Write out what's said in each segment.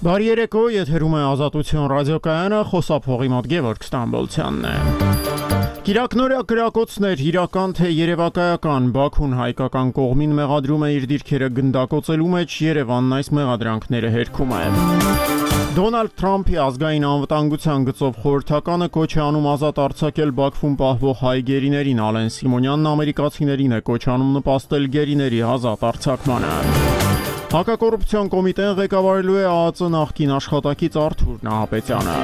Բարի երեկո, եթերում է Ազատություն ռադիոկայանը, խոսափողի մոտ Գևորգ Ստամբոլցյանն է։ Կիրակնորյա կրակոցներ, իրական թե երևակայական, Բաքուն հայկական կողմին մեղադրում է իր դիրքերը գնդակոծելու մեջ, Երևանն այս մեղադրանքները հերքում է։ Դոնալդ Թրամփի ազգային անվտանգության գծով խորհրդականը կոչ է անում ազատ արձակել Բաքվում պահվող հայ գերիներին, Ալեն Սիմոնյանն ամերիկացիներին է կոչ անում նպաստել գերիների ազատ արձակմանը։ Հակակոռուպցիոն կոմիտեն ղեկավարելու է ԱԱԾ նախկին աշխատակից Արթուր Նահապետյանը։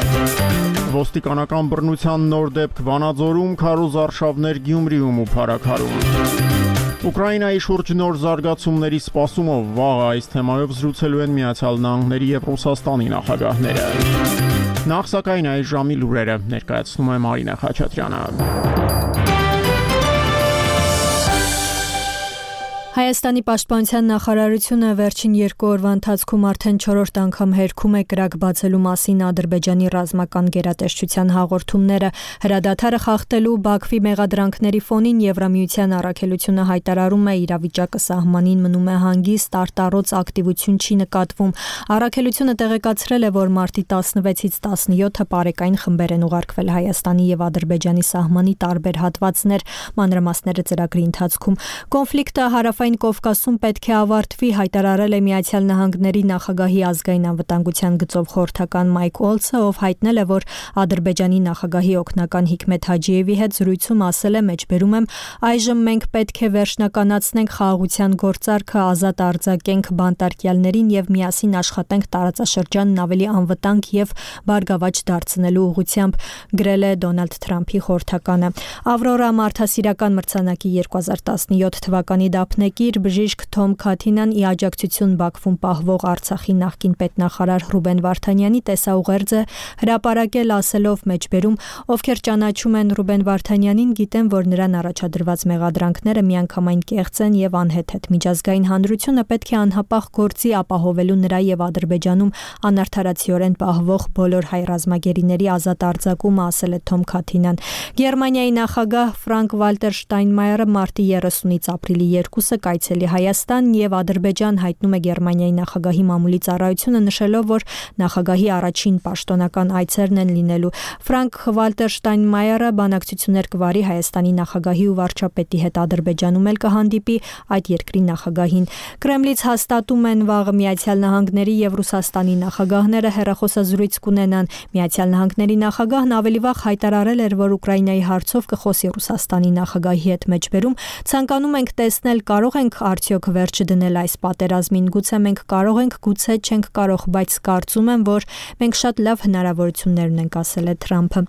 Ոստիկանական բռնության նոր դեպք Վանաձորում, քարոզարշավներ Գյումրիում ու Փարաքարում։ Ուկրաինայի շուրջ նոր զարգացումների սպասումով վաղ այս թեմայով զրուցելու են Միացյալ Նահանգների և Ռուսաստանի նախագահները։ Նախ սակայն այս ժամի լուրերը ներկայացնում է Մարինե Խաչատրյանը։ Հայաստանի պաշտպանության նախարարությունը վերջին 2 օրվա ընթացքում արդեն 4-րդ անգամ հերքում է կրակ բացելու մասին Ադրբեջանի ռազմական գերատեսչության հաղորդումները։ Հրադադարը խախտելու Բաքվի մեղադրանքների ֆոնին Եվրամիության առաքելությունը հայտարարում է իրավիճակը սահմանին մնում է հանգիստ, արտառոց ակտիվություն չի նկատվում։ Առաքելությունը տեղեկացրել է, որ մարտի 16-ից 17-ը պարեկային խմբեր են ուղարկվել Հայաստանի և Ադրբեջանի սահմանի տարբեր հատվածներ, մանրամասները ծրագրի ընթացքում։ Կոնֆլիկտը Հարավային Կովկասում պետք է ավարտվի, հայտարարել է Միացյալ Նահանգների նախագահի ազգային անվտանգության գծով խորհրդական Մայք Օլցը, ով հայտնել է, որ Ադրբեջանի նախագահի օգնական Հիկմեթ Հաջիևի հետ զրույցում ասել է, մեջբերում եմ, այժմ մենք պետք է վերջնականացնենք խաղաղության գործարքը, ազատ արձակենք բանտարկյալներին եւ միասին աշխատենք տարածաշրջանն ավելի անվտանգ եւ բարգավաճ դարձնելու ուղղությամբ, գրել է Դոնալդ Թրամփի խորհրդականը։ Ավրորա մարդասիրական մրցանակի 2017 թվականի դափնեկիր բժիշկ Թոմ Քաթինան ի աջակցություն Բաքվում պահվող Արցախի նախկին պետնախարար Ռուբեն Վարդանյանի տեսաուղերձ է հրապարակել, ասելով մեջբերում, ովքեր ճանաչում են Ռուբեն Վարդանյանին, գիտեն, որ նրան առաջադրված մեղադրանքները միանգամայն կեղծ են եւ անհեթեթ։ Միջազգային հանրությունը պետք է անհապաղ գործի ապահովելու նրա եւ Ադրբեջանում անարդարացիորեն պահվող բոլոր հայ ռազմագերիների ազատ արձակումը, ասել է Թոմ Քաթինան։ Գերմանիայի նախագահ Ֆրանկ Վալտեր Շտայնմայերը մարտի 30-ից ապրիլի 2-ը կայցելի Հայաստան եւ Ադրբեջան, հայտնում է Գերմանիայի նախագահի մամուլի ծառայությունը, նշելով, որ նախագահի առաջին պաշտոնական այցերն են լինելու։ Ֆրանկ Վալտեր Շտայնմայերը բանակցություններ կվարի Հայաստանի նախագահի ու վարչապետի հետ, Ադրբեջանում էլ կհանդիպի այդ երկրի նախագահին։ Կրեմլից հաստատում են վաղը Միացյալ Նահանգների եւ Ռուսաստանի նախագահները հեռախոսազրույց կունենան։ Միացյալ Նահանգների նախագահն ավելի վաղ հայտարարել էր, որ Ուկրաինայի հարցով կխոսի Ռուսաստանի նախագահի հետ, մեջբերում ցանկանում ենք տեսնել, կարող ենք արդյոք վերջ դնել այս պատերազմին, գուցե մենք կարող ենք, գուցե չենք կարող, բայց կարծում եմ, որ մենք շատ լավ հնարավորություններ ունենք, ասել է Թրամփը։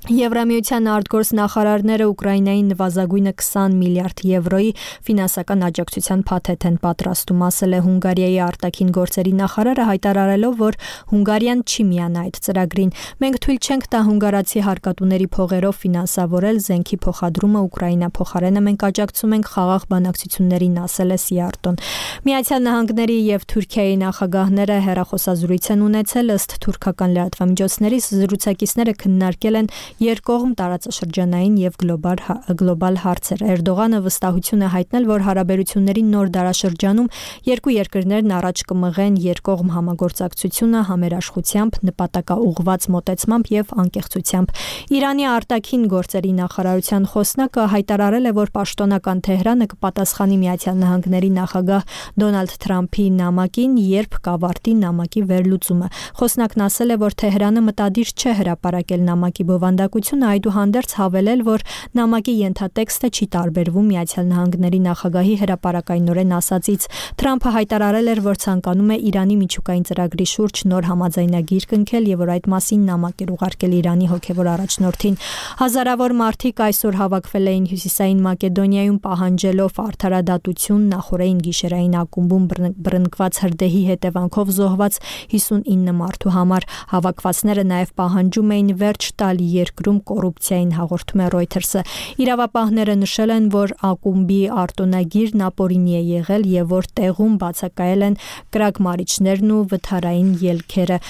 Եվրամիության արտգործնախարարները Ուկրաինային նվազագույնը 20 միլիարդ եվրոյի ֆինանսական աջակցության փաթեթ են պատրաստում, ասել է Հունգարիայի արտաքին գործերի նախարարը, հայտարարելով, որ Հունգարիան չի միանա այդ ծրագրին։ Մենք թույլ չենք տա հունգարացի հարկատուների փողերով ֆինանսավորել զենքի փոխադրումը Ուկրաինա, փոխարենը մենք աջակցում ենք խաղաղ բանակցություններին, ասել է Սիարտոն։ Միացյալ Նահանգների եւ Թուրքիայի նախագահները հեռախոսազրույց են ունեցել, ըստ թուրքական լրատվամիջոցների զրուցակիցները քննարկել են երկկողմ տարածաշրջանային եւ գլոբալ հարցեր։ Էրդողանը վստահություն է հայտնել, որ հարաբերությունների նոր դարաշրջանում երկու երկրներն առաջ կմղեն երկկողմ համագործակցությունը համերաշխությամբ, նպատակաուղղված մոտեցմամբ եւ անկեղծությամբ։ Իրանի արտաքին գործերի նախարարության խոսնակը հայտարարել է, որ պաշտոնական Թեհրանը կպատասխանի Միացյալ Նահանգների նախագահ Դոնալդ Թրամփի նամակին, երբ կավարտի նամակի վերլուծումը։ Խոսնակն ասել է, որ Թեհրանը մտադիր չէ հրապարակել նամակի բովանդակությունը, այդուհանդերձ հավելել, որ նամակի ենթատեքստը չի տարբերվում Միացյալ Նահանգների նախագահի հրապարակայնորեն ասածից։ Թրամփը հայտարարել էր, որ ցանկանում է Իրանի միջուկային ծրագրի շուրջ նոր համաձայնագիր կնքել եւ որ այդ մասին նամակ էր ուղարկել Իրանի հոգեվոր առաջնորդին։ Հազարավոր մարդիկ այսօր հավաքվել էին Հյուսիսային Մակեդոնիայում, պահանջելով արդարադատություն նախորդային գիշերային ակումբում բռնկված հրդեհի հետևանքով զոհված 59 մարդու համար։ Հավաքվածները նաև պահանջում էին վերջ տալ երկրում կոռուպցիային, հաղորդում է Reuters-ը։ Իրավապահները նշել են, որ ակումբի արտոնագիրն ապօրինի է եղել եւ որ տեղում բացակայել են կրակմարիչներն ու վթարային ելքերը։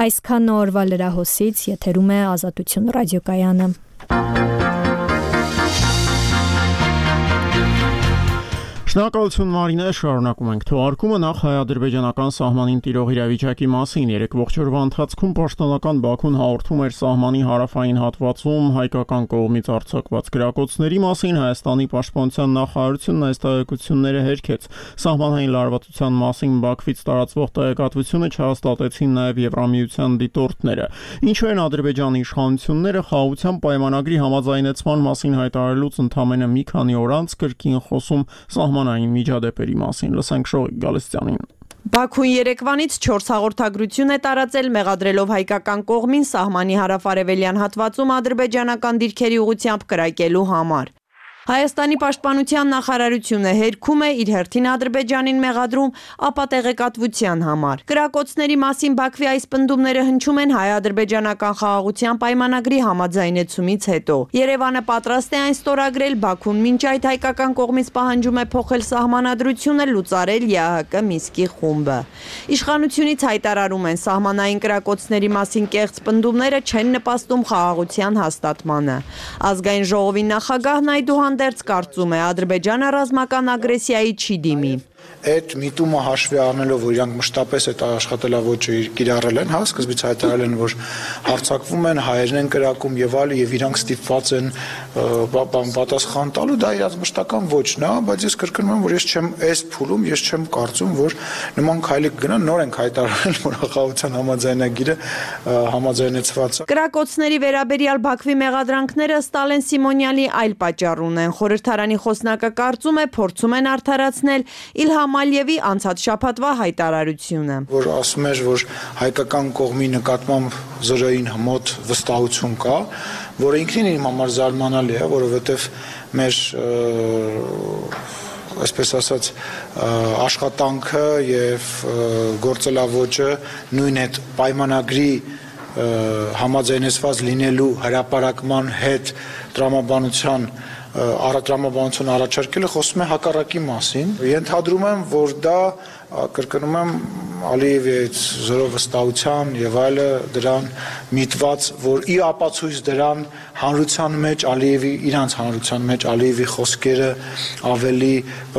Այսքան օրվա լրահոսից, եթերում է Ազատություն ռադիոկայանը։ Շնորհակալություն Մարինե, շարունակում ենք թողարկումը նախ հայ-ադրբեջանական սահմանին տիրող իրավիճակի մասին։ Երեկվող օրվա ընթացքում պաշտոնական Բաքուն հաղորդում էր սահմանի հարավային հատվածում հայկական կողմից արձակված գրակոծների մասին։ Հայաստանի պաշտպանության նախարարությունն այս տեղեկությունները հերքեց։ Սահմանային լարվածության մասին Բաքվից տարածվող տեղեկատվությունը չհաստատեցին նաև Եվրամիության դիտորդները։ Ինչու են Ադրբեջանի իշխանությունները խաղաղության պայմանագրի համաձայնեցման մասին հայտարարելուց ընդամենը մի քանի օր անց կրկին խոսում սահմանային միջադեպերի մասին։ Լսենք Շողիկ Գալստյանին։ Բաքուն երեկվանից 4 հաղորդագրություն է տարածել, մեղադրելով հայկական կողմին սահմանի հարավ-արևելյան հատվածում ադրբեջանական դիրքերի ուղղությամբ կրակելու համար։ Հայաստանի պաշտպանության նախարարությունը հերքում է իր հերթին Ադրբեջանին մեղադրում ապա տեղեկատվության համար։ Կրակոցների մասին Բաքվի այս պնդումները հնչում են հայ-ադրբեջանական խաղաղության պայմանագրի համաձայնեցումից հետո։ Երևանը պատրաստ է այն ստորագրել, Բաքուն մինչ այդ հայկական կողմից պահանջում է փոխել սահմանադրությունը, լուծարել ԵԱՀԿ Մինսկի խումբը։ Իշխանությունից հայտարարում են, սահմանային կրակոցների մասին կեղծ պնդումները չեն նպաստում խաղաղության հաստատմանը։ Ազգային ժողովի նախագահն այդուհանդերձ կարծում է, Ադրբեջանը ռազմական ագրեսիայի չի դիմի։ Այդ միտումը հաշվի առնելով, որ իրանք մշտապես այդ աշխատելավոճը կիրառել են, սկզբից հայտարարել են, որ հարձակվում են, հայերն են կրակում եւ այլն, եւ իրանք ստիպված են պատասխան տալու, դա իրաց մշտական ոճն է, բայց ես կրկնում եմ, որ ես չեմ այս փուլում, ես չեմ կարծում, որ նման քայլի կգնան, նոր ենք հայտարարել, որ խաղաղության համաձայնագիրը համաձայնեցված է։ Կրակոցների վերաբերյալ Բաքվի մեղադրանքները Ստալեն Սիմոնյանի այլ պատճառ ունեն։ Խորհրդարանի խոսնակը կարծում է, փորձում են արդարացնել Իլհամ Ալիևի անցած շաբաթվա հայտարարությունը, որ ասում էր, որ հայկական կողմի նկատմամբ զրոյին մոտ վստահություն կա, որը ինքնին իմ համար զարմանալի է, որովհետև մեր այսպես ասած աշխատանքը եւ գործելավոճը նույն այդ պայմանագրի համաձայնեցված լինելու հրապարակման հետ տրամաբանություն առաջարկելը խոսում է հակառակի մասին։ Ենթադրում եմ, որ դա կրկնում եմ Ալիևի զորո վստահության եւ այլը դրան միտված, որ ի ապացույց դրան հանրության մեջ Ալիևի իրանց հանրության մեջ Ալիևի խոսքերը ավելի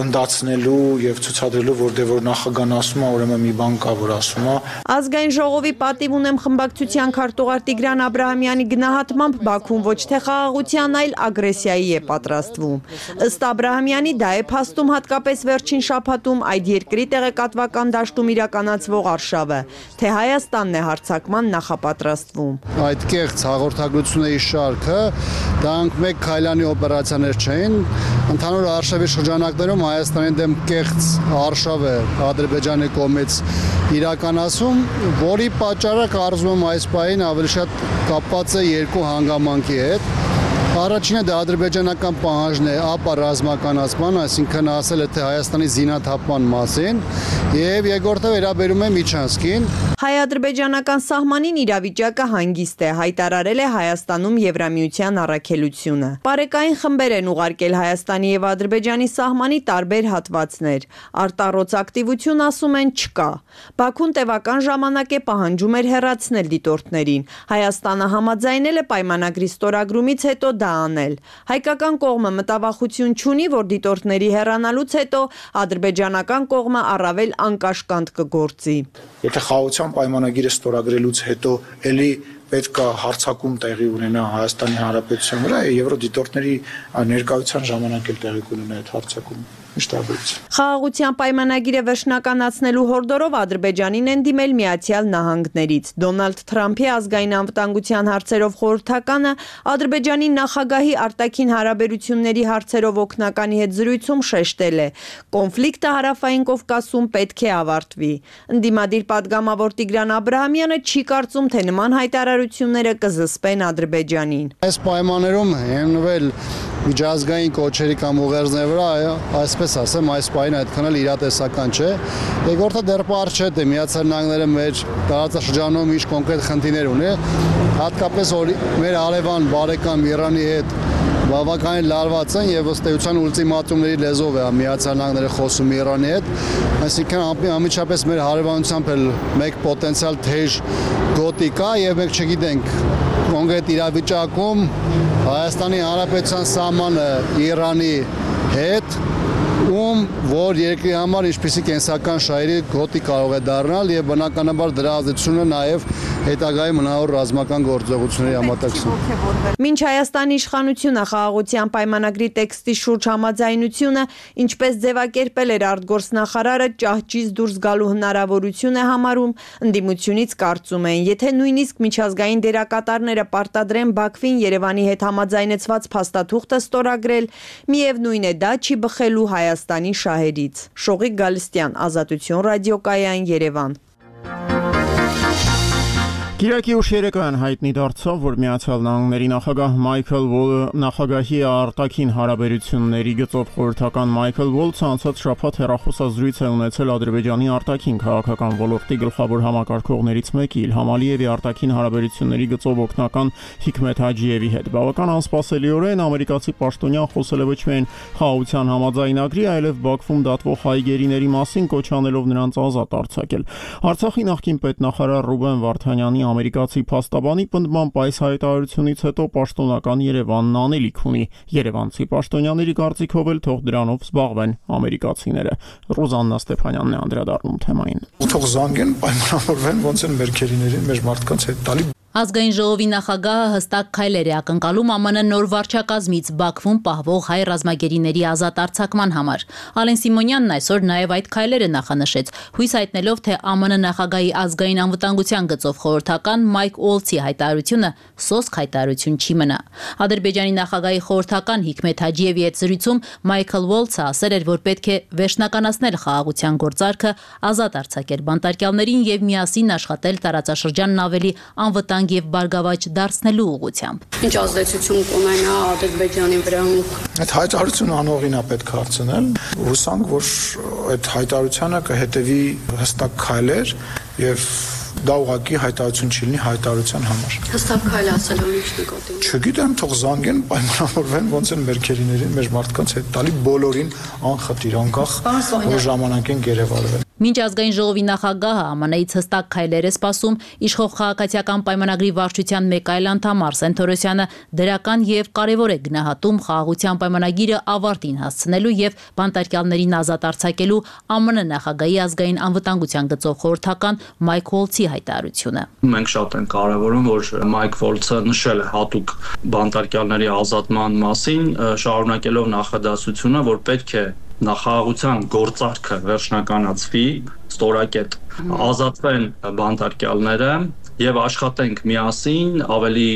ընդդացնելու եւ ցուցադրելու, որ նախագահն ասում է, ուրեմն մի բան կա, որ ասում է։ Ազգային ժողովի պատիվ ունեմ խմբակցության քարտուղար Տիգրան Աբրահամյանի գնահատմամբ Բաքուն ոչ թե խաղաղության, այլ ագրեսիայի է պատրաստվում։ Ըստ Աբրահամյանի դա է փաստում հատկապես վերջին շաբաթում այդ երկրի տեղեկատվական դաշտում իրականացվող արշավը, թե Հայաստանն է հարձակման նախապատրաստվում։ Այդ կեղծ հաղորդագրությունների շարքը դրանք մեկ քայլանի օպերացիաներ չէին, ընդհանուր արշավի շրջանակներում Հայաստանի դեմ կեղծ արշավ է Ադրբեջանի կողմից իրականացում, որի պատճառը կարծում եմ այս պահին ավելի շատ կապված է երկու հանգամանքի հետ։ Առաջինը դա ադրբեջանական պահանջն է ապա ռազմականացման, այսինքն ասել է թե Հայաստանի զինաթափման մասին, եւ երկրորդը վերաբերում է Միչանսկին։ Հայ-ադրբեջանական սահմանին իրավիճակը հանգիստ է, հայտարարել է Հայաստանում Եվրամիության առաքելությունը։ Պարեկային խմբեր են ուղարկել Հայաստանի եւ Ադրբեջանի սահմանի տարբեր հատվածներ։ Արտառոց ակտիվություն ասում են չկա։ Բաքուն տևական ժամանակ է պահանջում էր հեռացնել դիտորդներին։ Հայաստանը համաձայնել է պայմանագրի ստորագրումից հետո դա անել։ Հայկական կողմը մտավախություն չունի, որ դիտորդների հեռանալուց հետո ադրբեջանական կողմը առավել անկաշկանդ կգործի։ Եթե խաղաղության պայմանագիրը ստորագրելուց հետո էլի պետք է հարձակում տեղի ունենա Հայաստանի Հանրապետության վրա, եվրոդիտորդների ներկայության ժամանակ էլ տեղի կունենա այդ հարձակումը։ Խաղաղության պայմանագիրը վերջնականացնելու հորդորով Ադրբեջանին են դիմել Միացյալ Նահանգներից։ Դոնալդ Թրամփի ազգային անվտանգության հարցերով խորհրդականը Ադրբեջանի նախագահի արտաքին հարաբերությունների հարցերով օգնականի հետ զրույցում շեշտել է. կոնֆլիկտը Հարավային Կովկասում պետք է ավարտվի։ Ընդդիմադիր պատգամավոր Տիգրան Աբրահամյանը չի կարծում, թե նման հայտարարությունները կզսպեն Ադրբեջանին։ Այս պայմաններում հիմնվել միջազգային կոչերի կամ ուղերձների վրա, այսպես ասեմ, այս պահին այդքան էլ իրատեսական չէ։ Երկրորդը դեռ պարզ չէ, թե Միացյալ Նահանգները մեր տարածաշրջանում ինչ կոնկրետ խնդիրներ ունի, հատկապես որ մեր արևան բարեկամ Իրանի հետ բավականին լարված են եւ ըստ էության ուլտիմատումների լեզվով է Միացյալ Նահանգները խոսում Իրանի հետ, այսինքն անմիջապես մեր հարևանությամբ էլ մեկ պոտենցիալ թեժ գոտի կա եւ մենք չգիտենք կոնկրետ իրավիճակում Հայաստանի Հանրապետության սահմանը Իրանի հետ ում որ երկրի համար ինչպիսի կենսական շահերի գոտի կարող է դառնալ եւ բնականաբար դրա ազդեցությունը նաեւ հետագայի մնավոր ռազմական գործողությունների համատեքստում։ Մինչ Հայաստանի իշխանությունը խաղաղության պայմանագրի տեքստի շուրջ համաձայնությունը, ինչպես ձևակերպել էր արտգործնախարարը, ճահճից դուրս գալու հնարավորություն է համարում, ընդդիմությունից կարծում են, եթե նույնիսկ միջազգային դերակատարները պարտադրեն Բաքվին Երևանի հետ համաձայնեցված փաստաթուղթը ստորագրել, միևնույն է դա չի բխելու Հայաստանի շահերից։ Շողիկ Գալստյան, Ազատություն ռադիոկայան, Երևան։ Կիրակի ուշ երեկոյան հայտնի դարձավ, որ Միացյալ Նահանգների նախագահ Մայքլ Վոլը նախագահի արտաքին հարաբերությունների գծով խորհրդական Մայքլ Վոլցը անցած շաբաթ հեռախոսազրույց է ունեցել Ադրբեջանի արտաքին քաղաքական ոլորտի գլխավոր համակարգողներից մեկի Իլհամ Ալիևի արտաքին հարաբերությունների գծով օգնական Հիքմեթ Հաջիևի հետ։ Բավական անսպասելիորեն ամերիկացի պաշտոնյան խոսել է ոչ միայն խաղաղության համաձայնագրի, այլև Բաքվում դատվող հայ գերիների մասին, կոչ անելով նրանց ազատ արձակել։ Արցախի նախկին պետնախարար Ռուբեն Վարդանյանի ամերիկացի փաստաբանի պնդմամբ այս հայտարարությունից հետո պաշտոնական Երևանն անելիք ունի։ Երևանցի պաշտոնյաների կարծիքով էլ թող դրանով զբաղվեն ամերիկացիները։ Ռոզաննա Ստեփանյանն է անդրադառնում թեմային։ Թող զանգեն, պայմանավորվեն, ոնց են մեր քերիներին, մեր մարդկանց հետ տալի։ Ազգային ժողովի նախագահը հստակ քայլեր է ակնկալում ԱՄՆ նոր վարչակազմից Բաքվում պահվող հայ ռազմագերիների ազատ արձակման համար։ Ալեն Սիմոնյանն այսօր նաև այդ քայլերը նախանշեց, հույս հայտնելով, թե ԱՄՆ նախագահի ազգային անվտանգության գծով խորհրդական Մայք Ուոլցի հայտարարությունը սոսկ հայտարարություն չի մնա։ Ադրբեջանի նախագահի խորհրդական Հիքմեթ Հաջիևի հետ զրույցում Մայքլ Ուոլցը ասել էր, որ պետք է վերջնականացնել խաղաղության գործարքը, ազատ արձակել բանտարկյալներին եւ միասին աշխատել տարածաշրջանն ավելի անվտանգ եւ բարգավաճ դարձնելու ուղղությամբ։ Ինչ ազդեցություն կունենա Ադրբեջանի վրա։ Այդ հայտարարությունը անողին է պետք հարցնել։ Հուսանք, որ այդ հայտարարությանը կհետևի հստակ քայլեր եւ դա ուղղակի հայտարարություն չի լինի հայտարարության համար։ Հստակ քայլ ասելով ինչ նկատի։ Չգիտեմ, թող զանգեն, պայմանավորվեն, ոնց են մեր քերիներին, մեր մարդկանց հետ տալի բոլորին անխտիր, անկախ որ ժամանակին գերեվարվեն։ Մինչ ազգային ժողովի նախագահը ԱՄՆ-ից հստակ քայլեր է սպասում, իշխող քաղաքացիական պայմանագրի վարչության մեկ այլ անդամ Արսեն Թորոսյանը դրական եւ կարեւոր է գնահատում խաղաղության պայմանագիրը ավարտին հասցնելու եւ բանտարկյալներին ազատ արձակելու ԱՄՆ նախագահի ազգային անվտանգության գծով խորհրդական Մայք Ուոլցի հայտարարությունը։ Մենք շատ ենք կարևորում, որ Մայք Ուոլցը նշել է հատուկ բանտարկյալների ազատման մասին, շարունակելով նախադասությունը, որ պետք է նախագահության գործարքը վերջնականացվի, ստորակետ ազատվեն բանտարկյալները եւ աշխատենք միասին ավելի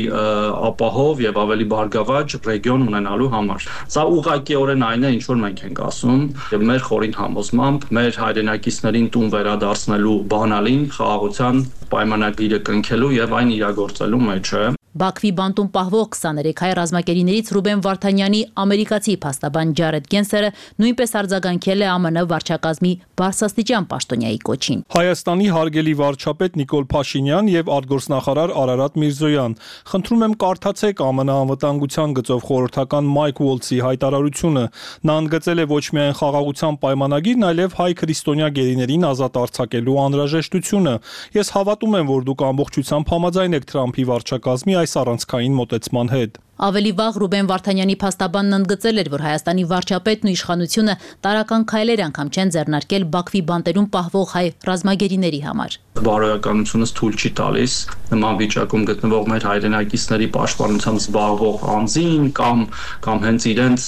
ապահով եւ ավելի բարգավաճ ռեգիոն ունենալու համար։ Սա ուղղակիորեն այն է, ինչ որ մենք ենք ասում, եւ մեր խորին համոզմամբ մեր հայրենակիցներին տուն վերադարձնելու բանալին խաղաղության պայմանագիրը կնքելու եւ այն իրագործելու մեջ է։ Բաքվի բանտում պահվող 23 հայ ռազմագերիներից Ռուբեն Վարդանյանի ամերիկացի փաստաբան Ջարեդ Գենսերը նույնպես արձագանքել է ԱՄՆ վարչակազմի բարձրաստիճան պաշտոնյայի կոչին։ Հայաստանի հարգելի վարչապետ Նիկոլ Փաշինյան եւ արտգործնախարար Արարատ Միրզոյան, խնդրում եմ կարդացեք ԱՄՆ անվտանգության գծով խորհրդական Մայք Ուոլցի հայտարարությունը։ Նա ընդգծել է ոչ միայն խաղաղության պայմանագիրն, այլև հայ քրիստոնյա գերիներին ազատ արձակելու անհրաժեշտությունը։ Ես հավատում եմ, որ դուք ամբողջությամբ համաձայն եք Թրամփի վարչակազմի այս առանցքային մոտեցման հետ։ Ավելի վաղ Ռուբեն Վարդանյանի փաստաբանն ընդգծել էր, որ Հայաստանի վարչապետն ու իշխանությունը տարական քայլեր անգամ չեն ձեռնարկել Բաքվի բանտերում պահվող հայ ռազմագերիների համար։ Բարոյականությունս թույլ չի տալիս նման վիճակում գտնվող մեր հայրենակիցների պաշտպանությամբ զբաղվող անձին կամ հենց իրենց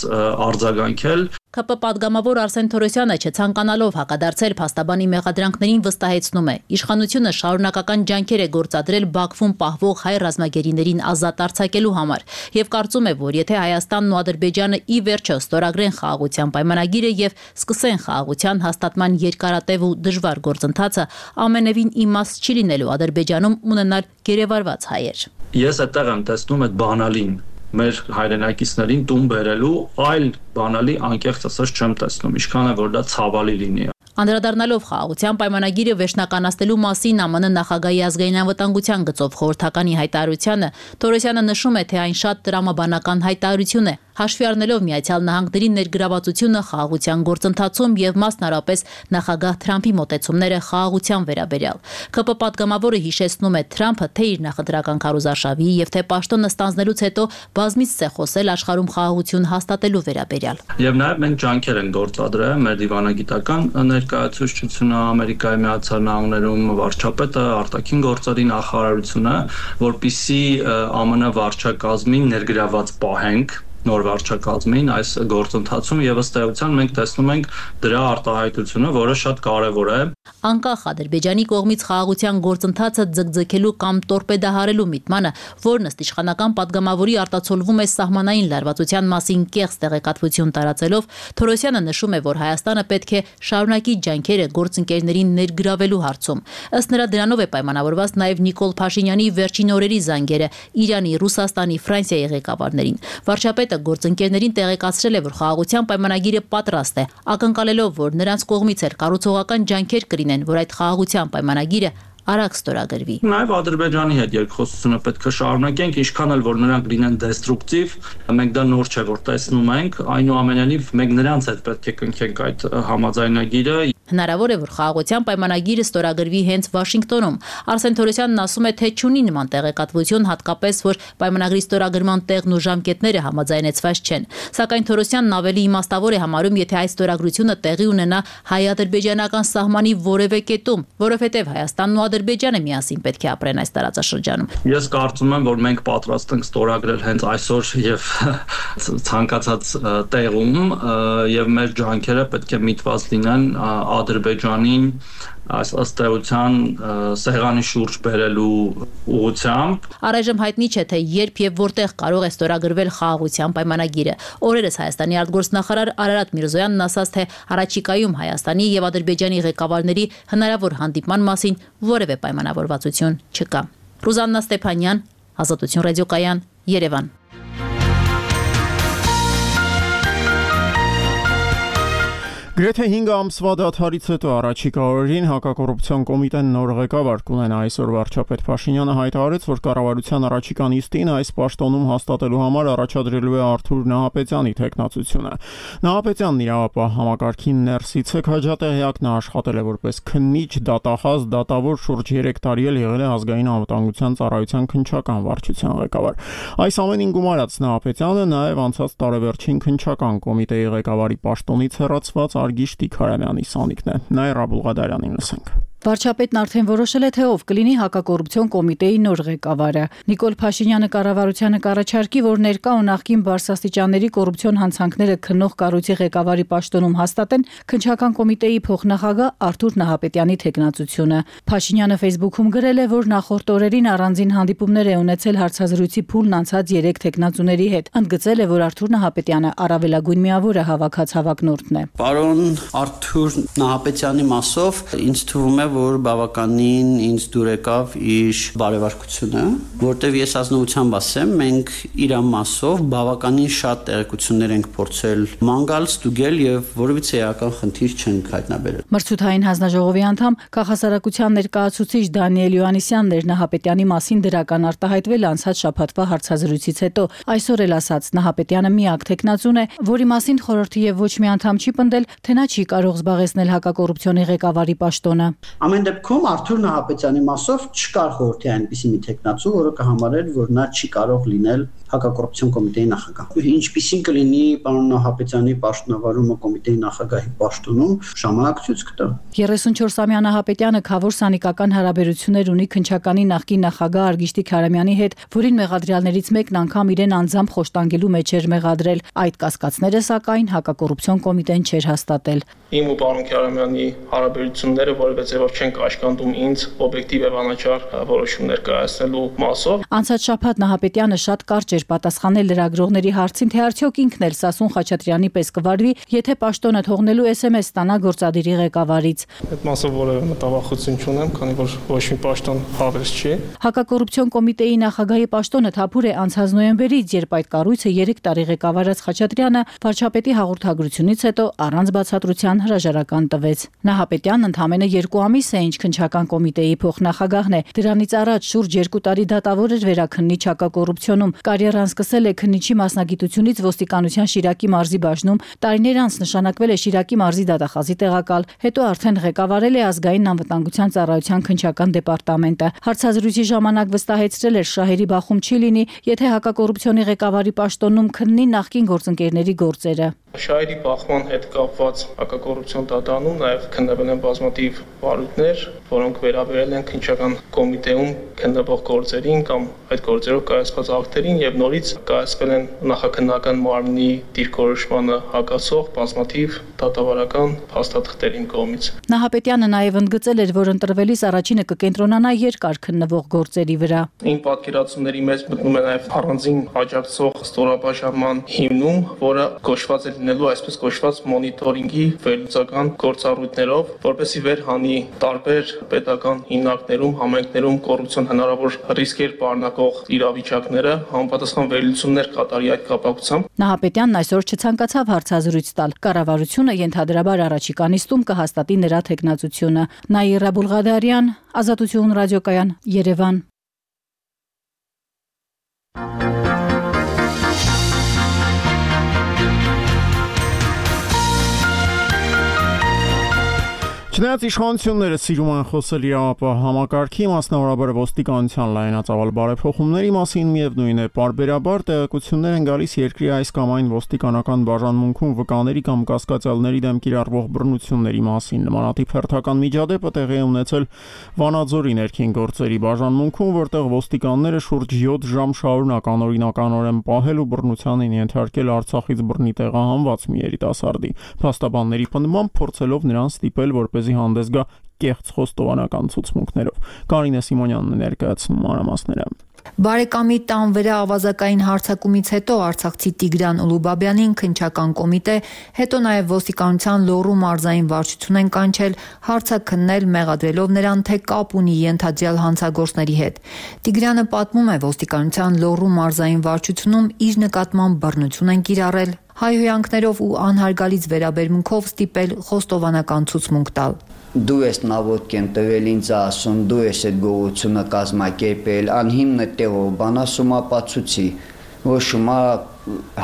արձագանքել։ ԿՊ պատգամավոր Արսեն Թորոսյանը չցանկանալով հակադարձել փաստաբանի մեղադրանքներին վստահեցնում է. իշխանությունը շարունակական ջանքեր է գործադրել Բաքվում պահվող հայ ռազմագերիներին ազատ արձակելու համար եւ կարծում է, որ եթե Հայաստանն ու Ադրբեջանը ի վերջո ստորագրեն խաղաղության պայմանագիրը եւ սկսեն խաղաղության հաստատման երկարատև ու դժվար գործընթացը, ամենևին իմաստ չի լինելու Ադրբեջանում ունենալ գերեվարված հայեր։ Ես այդտեղ եմ տեսնում այդ բանալին մեր հայրենակիցներին տուն բերելու, այլ բանալի անկեղծ ասած չեմ տեսնում, ինչքան է որ դա ցավալի լինի։ Անդրադառնալով խաղաղության պայմանագիրը վերջնականացնելու մասին ԱՄՆ նախագահի ազգային անվտանգության գծով խորհրդականի հայտարարությանը Թորոսյանը նշում է, թե այն շատ տրամաբանական հայտարարություն է, հաշվի առնելով Միացյալ Նահանգների ներգրավվածությունը խաղաղության գործընթացում եւ մասնարարպես նախագահ Թրամփի մոտեցումները խաղաղության վերաբերյալ։ ԿՊ պատգամավորը հիշեցնում է Թրամփը թե իր նախընտրական քարոզարշավի եւ թե պաշտոնը ստանձնելուց հետո բազմիցս է խոսել աշխարհում խաղաղություն հաստատելու վերաբերյալ։ Եվ նաեւ մենք ջանքեր ենք գործադրել մեր դիվանագիտական ներկայացուցչությունը Ամերիկայի Միացյալ Նահանգներում, վարչապետը, արտաքին գործերի նախարարությունը, որպիսի ԱՄՆ վարչակազմին ներգրաված պահենք նոր վարչակազմին այս գործընթացում եւ ըստ էության մենք տեսնում ենք դրա արտահայտությունը, որը շատ կարեւոր է։ Անկախ Ադրբեջանի կողմից խաղաղության գործընթացը ձգձգելու կամ տորպեդահարելու միտմանը, որն ըստ իշխանական պատգամավորի արտացոլվում է սահմանային լարվածության մասին կեղծ տեղեկատվություն տարածելով, Թորոսյանը նշում է, որ Հայաստանը պետք է շարունակի ջանքերը գործընկերներին ներգրավելու հարցում։ Ըստ նրա դրանով է պայմանավորված նաև Նիկոլ Փաշինյանի վերջին օրերի զանգերը Իրանի, Ռուսաստանի, Ֆրանսիայի ղեկավարներին։ Վարչապետը գործընկերներին տեղեկացրել է, որ խաղաղության պայմանագիրը պատրաստ է, ակնկալելով, որ նրանց կողմից էլ կառուցողական ջանքեր կլինեն, որ այդ խաղաղության պայմանագիրը արագ ստորագրվի։ Նաև Ադրբեջանի հետ երկխոսությունը պետք է շարունակենք, ինչքան էլ որ նրանք լինեն դեստրուկտիվ, մենք դա նոր չէ որ տեսնում ենք, այնուամենայնիվ մենք նրանց հետ պետք է կնքենք այդ համաձայնագիրը։ Հնարավոր է, որ խաղաղության պայմանագիրը ստորագրվի հենց Վաշինգտոնում։ Արսեն Թորոսյանն ասում է, թե չունի նման տեղեկատվություն, հատկապես որ պայմանագրի ստորագրման տեղն ու ժամկետները համաձայնեցված չեն։ Սակայն Թորոսյանն ավելի իմաստավոր է համարում, եթե այս ստորագրությունը տեղի ունենա հայ-ադրբեջանական սահմանի որևէ կետում, որովհետև Հայաստանն ու Ադրբեջանը միասին պետք է ապրեն այս տարածաշրջանում։ Ես կարծում եմ, որ մենք պատրաստ ենք ստորագրել հենց այսօր եւ ցանկացած տեղում եւ մեր ջանքերը պետք է միտված լինեն Ադրբեջանին այս ըստ էության սեղանի շուրջ բերելու ուղղությամբ։ Առայժմ հայտնի չէ, թե երբ եւ որտեղ կարող է ստորագրվել խաղաղության պայմանագիրը։ Օրերս Հայաստանի արտգործնախարար Արարատ Միրզոյանն ասաց, թե առաջիկայում Հայաստանի եւ Ադրբեջանի ղեկավարների հնարավոր հանդիպման մասին որևէ պայմանավորվածություն չկա։ Ռուզաննա Ստեփանյան, Ազատություն ռադիոկայան, Երևան։ Գրեթե 5 ամսվա դադարից հետո առաջիկա օրերին հակակոռուպցիոն կոմիտեն նոր ղեկավար կունենա։ Այսօր վարչապետ Փաշինյանը հայտարարեց, որ կառավարության առաջիկա նիստին այս պաշտոնում հաստատելու համար առաջադրելու է Արթուր Նահապետյանի թեկնածությունը։ Նահապետյանն իրավապահ համակարգին ներսից է քաջատեղյակ, նա աշխատել է որպես քննիչ, դատախազ, դատավոր, շուրջ 3 տարի եղել է ազգային անվտանգության ծառայության քննչական վարչության ղեկավար։ Այս ամենին գումարած Նահապետյանը նաև անցած տարեվերջին քննչական կոմիտեի ղեկավարի պաշտոնից հեռացված Արգիշ Տիքարյանյանի սանիկն է։ Նաիրա Բուլղադարյանին լսենք։ Վարչապետն արդեն որոշել է, թե ով կլինի հակակոռուպցիոն կոմիտեի նոր ղեկավարը։ Նիկոլ Փաշինյանը կառավարությանը կառաջարկի, որ ներկա ու նախկին բարձրաստիճանների կոռուպցիոն հանցանքները քննող կառույցի ղեկավարի պաշտոնում հաստատեն քննչական կոմիտեի փոխնախագահ Արթուր Նահապետյանի թեկնածությունը։ Փաշինյանը Facebook-ում գրել է, որ նախորդ օրերին առանձին հանդիպումներ է ունեցել հարցազրույցի փուլն անցած 3 թեկնածուների հետ։ Ընդգծել է, որ Արթուր Նահապետյանը առավելագույն միավորը հավաքած հավակնորդն է։ Պարոն Արթուր Նահապետյանի մասով ինձ թվում է, որ բավականին ինձ դուր եկավ իր բարեվարկությունը, որտեվ ես ազնվությամբ ասեմ, մենք իր մասով բավականին շատ տեղեկություններ ենք փորձել մանգալ, ստուգել եւ որևիցե էական խնդիր չենք հայտնաբերել։ Մրցութային հանձնաժողովի անդամ քաղաքասարակության ներկայացուցիչ Դանիել Յոհաննիսյանն էր Նահապետյանի մասին դրական արտահայտվել անցած շաբաթվա հարցազրույցից հետո։ Այսօր էլ ասաց, Նահապետյանը միակ թեկնածուն է, որի մասին խորհրդի եւ ոչ մի անդամ չի պնդել, թե նա չի կարող զբաղեցնել հակակոռուպցիոնի ղեկավարի պաշտոնը։ Ամեն դեպքում Արթուր Նահապետյանի մասով չկար խորհրդի այնպիսի մի թեկնածու, որը կհամարեր, որ նա չի կարող լինել հակակոռուպցիոն կոմիտեի նախագահ։ Ինչպիսին կլինի պարոն Նահապետյանի պաշտոնավարումը կոմիտեի նախագահի պաշտոնում, ժամանակ ցույց կտա։ 34-ամյա Նահապետյանը խավոր սանիկական հարաբերություններ ունի քննչականի նախկին նախագահ Արգիշ Տիքարյանյանի հետ, որին մեղադրյալներից մեկն անգամ իրեն անձամբ խոշտանգելու մեջ էր մեղադրել։ Այդ կասկածները սակայն հակակոռուպցիոն կոմիտեն չէր հաստատել։ Իմ ու պարոն Քարամյանի հարաբերությունները որևէ ձևով չեն կաշկանդում ինձ օբյեկտիվ եւ անաչառ որոշումներ կայացնելու մասով։ Անցած շաբաթ Նահապետյանը շատ կարճ էր պատասխանել լրագրողների հարցին, թե արդյոք ինքն էլ Սասուն Խաչատրյանի պես կվարվի, եթե պաշտոնը թողնելու SMS ստանա գործադիրի ղեկավարից։ Այդ մասով որևէ մտավախություն չունեմ, քանի որ ոչ մի պաշտոն հավես չի։ Հակակոռուպցիոն կոմիտեի նախագահի պաշտոնը թափուր է անցած նոյեմբերից, երբ այդ կառույցը 3 տարի ղեկավարած Խաչատրյանը վարչապետի հաղորդագրությունից հետո առանց բացատրության կառավարության հրաժարական տվեց։ Նահապետյանն ընդամենը 2 ամիս է ինչ քննչական կոմիտեի փոխնախագահն է։ Դրանից առաջ շուրջ 2 տարի դատավոր էր վերաքննիչ հակակոռուպցիոնում։ Կարիերան սկսել է քննիչի մասնագիտությունից ոստիկանության Շիրակի մարզի բաժնում, տարիներ անց նշանակվել է Շիրակի մարզի դատախազի տեղակալ, հետո արդեն ղեկավարել է ազգային անվտանգության ծառայության քննչական դեպարտամենտը։ Հարցազրույցի ժամանակ վստահեցրել էր շահերի բախում չի լինի, եթե հակակոռուպցիոնի ղեկավարի պաշտոնում քննի նախկին գործընկերների գործերը։ Շահերի բախման հետ կապված հակակոռուպցիոն դատարանում նաև քննվել են բազմաթիվ վարույթներ, որոնք վերաբերել են քննչական կոմիտեում քննվող գործերին կամ այդ գործերով կայացված ակտերին եւ նորից կայացվել են նախաքննական մարմնի դիրքորոշմանը հակասող բազմաթիվ դատավարական փաստաթղթերին կողմից։ Նահապետյանը նաև ընդգծել էր, որ ընտրվելիս առաջինը կկենտրոնանա երկար քննվող գործերի վրա։ Իմ պատկերացումների մեջ մտնում է նաև առանձին աջակցող ստորաբաժանման հիմնում, որը կոչված է լինելու այսպես կոչված մոնիտորինգի վերլուծական գործառույթներով, որպեսզի վերհանի տարբեր պետական հիմնարկներում, համայնքներում կոռուպցիոն հնարավոր ռիսկեր պարունակող իրավիճակները, համապատասխան վերլուծումներ կատարի այդ կապակցությամբ։ Նահապետյանն այսօր չցանկացավ հարցազրույց տալ։ Կառավարությունը ենթադրաբար առաջիկա նիստում կհաստատի նրա թեկնածությունը։ Նաիրա Բուլղադարյան, Ազատություն ռադիոկայան, Երևան։ Չնայած իշխանությունները սիրում են խոսել իրավապահ համակարգի, մասնավորաբար ոստիկանության լայնածավալ բարեփոխումների մասին, միևնույն է, պարբերաբար տեղեկություններ են գալիս երկրի այս կամ այն ոստիկանական բաժանմունքում վկաների կամ կասկածյալների դեմ կիրառվող բռնությունների մասին։ Նմանատիպ հերթական միջադեպը տեղի է ունեցել Վանաձորի ներքին գործերի բաժանմունքում, որտեղ ոստիկանները շուրջ 7 ժամ շարունակ անօրինականորեն պահել ու բռնության են ենթարկել Արցախից բռնի տեղահանված մի երիտասարդի։ Փաստաբանների պնդմամբ փորձելով նրան ստիպել, որպեսզի հանդես գա կեղծ խոստովանական ցուցմունքներով։ Կարինե Սիմոնյանն է ներկայացնում մանրամասները։ Բարեկամի տան վրա ավազակային հարձակումից հետո արցախցի Տիգրան Ուլուբաբյանին քննչական կոմիտե, հետո նաև ոստիկանության Լոռու մարզային վարչություն են կանչել հարցաքննել, մեղադրելով նրան, թե կապ ունի ենթադրյալ հանցագործների հետ։ Տիգրանը պատմում է, ոստիկանության Լոռու մարզային վարչությունում իր նկատմամբ բռնություն են կիրառել, հայհոյանքներով ու անհարգալից վերաբերմունքով ստիպել խոստովանական ցուցմունք տալ։ Դու ես նավոտ կեն տվել ինձ ասում, դու ես այդ գողությունը կազմակերպել, անհիմն տեղով բան ասում ապացուցի, ոչ շումա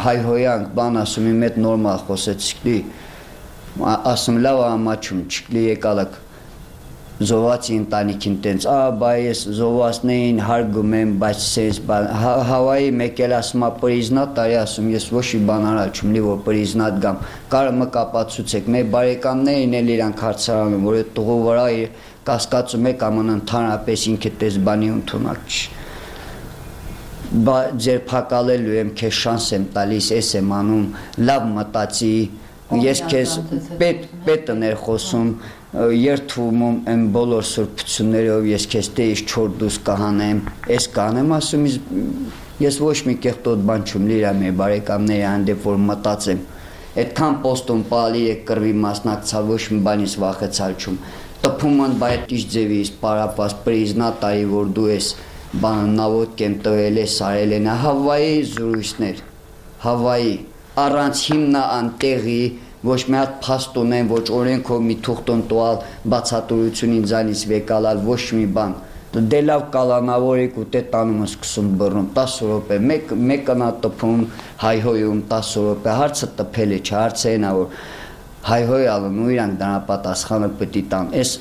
հայհոյանք բան ասում իմ հետ նորմալ խոսեցի, ասում լավ ամաչում չկլի եկալակ զովացի ընտանիքին տենց, բա ես զովացներին հարգում եմ, բայց սենց բան, Հավայի մեկ էլ ասում պրիզնատ տարի ասում, ես ոչ մի բան արա չում լի, որ պրիզնատ գամ, կարը մը կապացուցեք, մեր բարեկամներին էլ իրանք հարցարանում, որ այդ տղու վրա կասկածում եք աման ընդհանրապես ինքը տես բանի ընդունակ չի, բա ձերբակալելու եմ, քեզ շանս եմ տալիս, ես եմ անում, լավ մտածի, ես քեզ պետն էր խոսում, երթվում եմ բոլոր սուրբություններով, ես քեզ տեից չոր դուս կհանեմ, ես կանեմ, ասում ես ոչ մի կեղտոտ բան չում լիրա մեր բարեկամների հանդեպ, որ մտածեմ, այդքան պոստում պալի եք կրվի մասնակցալ, ոչ մի բանից վախեցալ չում, տպում են բայ տիշ ձևից պարապաս պրիզնա տարի, որ դու ես բանը նավոտ կեն տվել ես, արել են, Հավայի զուրույցներ, Հավայի, առանց հիմնա անտեղի, ոչ մի հատ փաստ ունեն, ոչ օրենքով մի թուղթոն տուալ բացատրություն ինձանից վեկալալ, ոչ մի բան։ Դե լավ կալանավորիկ ու տե տանում սկսում բռնում 10 րոպե, մեկն է տպում, հայհոյում 10 րոպե, հարցը տպել է, հարցը այն է, որ հայհոյալն ու իրանք դրա պատասխանը պետք է տան։ Էս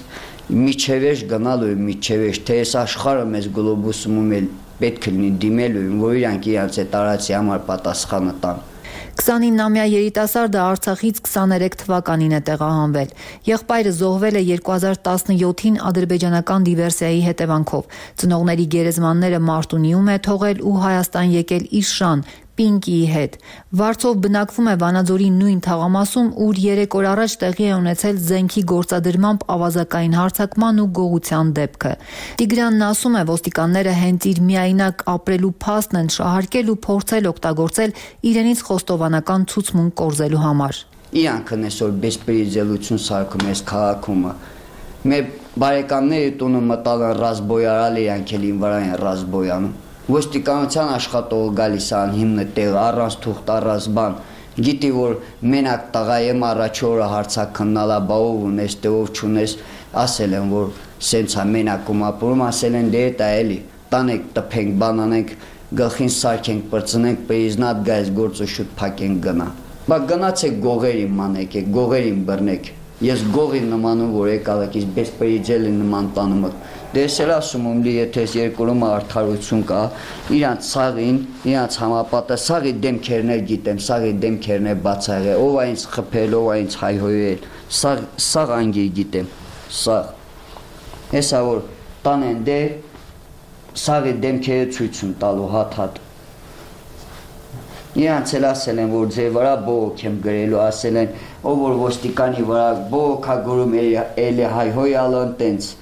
միջևեջ գնալու միջևեջ, թե այս աշխարհը մեզ գլոբուսում էլ պետք է լինի դիմելու, որ իրանք իրանց այդ տարածի համար պատասխանը տան։ 29-ամյա երիտասարդը Արցախից 23 թվականին է տեղահանվել։ Եղբայրը զոհվել է 2017-ին ադրբեջանական դիվերսիայի հետևանքով։ Ծնողների գերեզմանները Մարտունիում է թողել ու Հայաստան եկել իր շան Պինկիի հետ։ Վարձով բնակվում է Վանաձորի նույն թաղամասում, ուր 3 օր առաջ տեղի է ունեցել զենքի գործադրմամբ ավազակային հարձակման ու գողության դեպքը։ Տիգրանն ասում է, ոստիկանները հենց իր միայնակ ապրելու փաստն են շահարկել ու փորձել օգտագործել իրենից խոստովանական ցուցմունք կորզելու համար։ Իրանքն այսօր բեսպրիձելություն սարքում էս քաղաքում։ Մեր բարեկամների տունը մտալ են ռազմբոյարալ, իրանք էլ ին վրա են ռազմբոյանում։ Ոստիկանության աշխատողը գալիս է անհիմն տեղ, առանց թուղթ, առանց բան, Գիտի որ մենակ տղա եմ առաջ օրը հարցակնալա բաով ունես տեով չունես ասել են որ սենց է մենակում ապրում ասել են դե դա էլի տանենք տփենք բանանենք գլխին սարքենք բրծնենք պեիզնատ գայս գործը շուտ փակենք գնա բա գնացեք գողերին մանեք գողերին բռնեք ես գողի նմանում որ եկալեք իսկ բեսպերիջելի նման տանում դες էլ ասում եմ լի եթե երկրում արդարություն կա իրանց սաղին իրանց համապատասխանի դեմքերներ գիտեմ սաղի դեմքերներ բացահայ ով այնց խփել ով այնց հայհոյել սաղ անգի գիտեմ սաղ հեսա որ տանեն դե սաղի դեմքերը ցույց են տալու հատ իրանց էլ ասել են որ ձեր վրա բողոք եմ գրելու ասել են ով որ ոստիկանի վրա բողոքա գրում էլի հայհոյալն տենց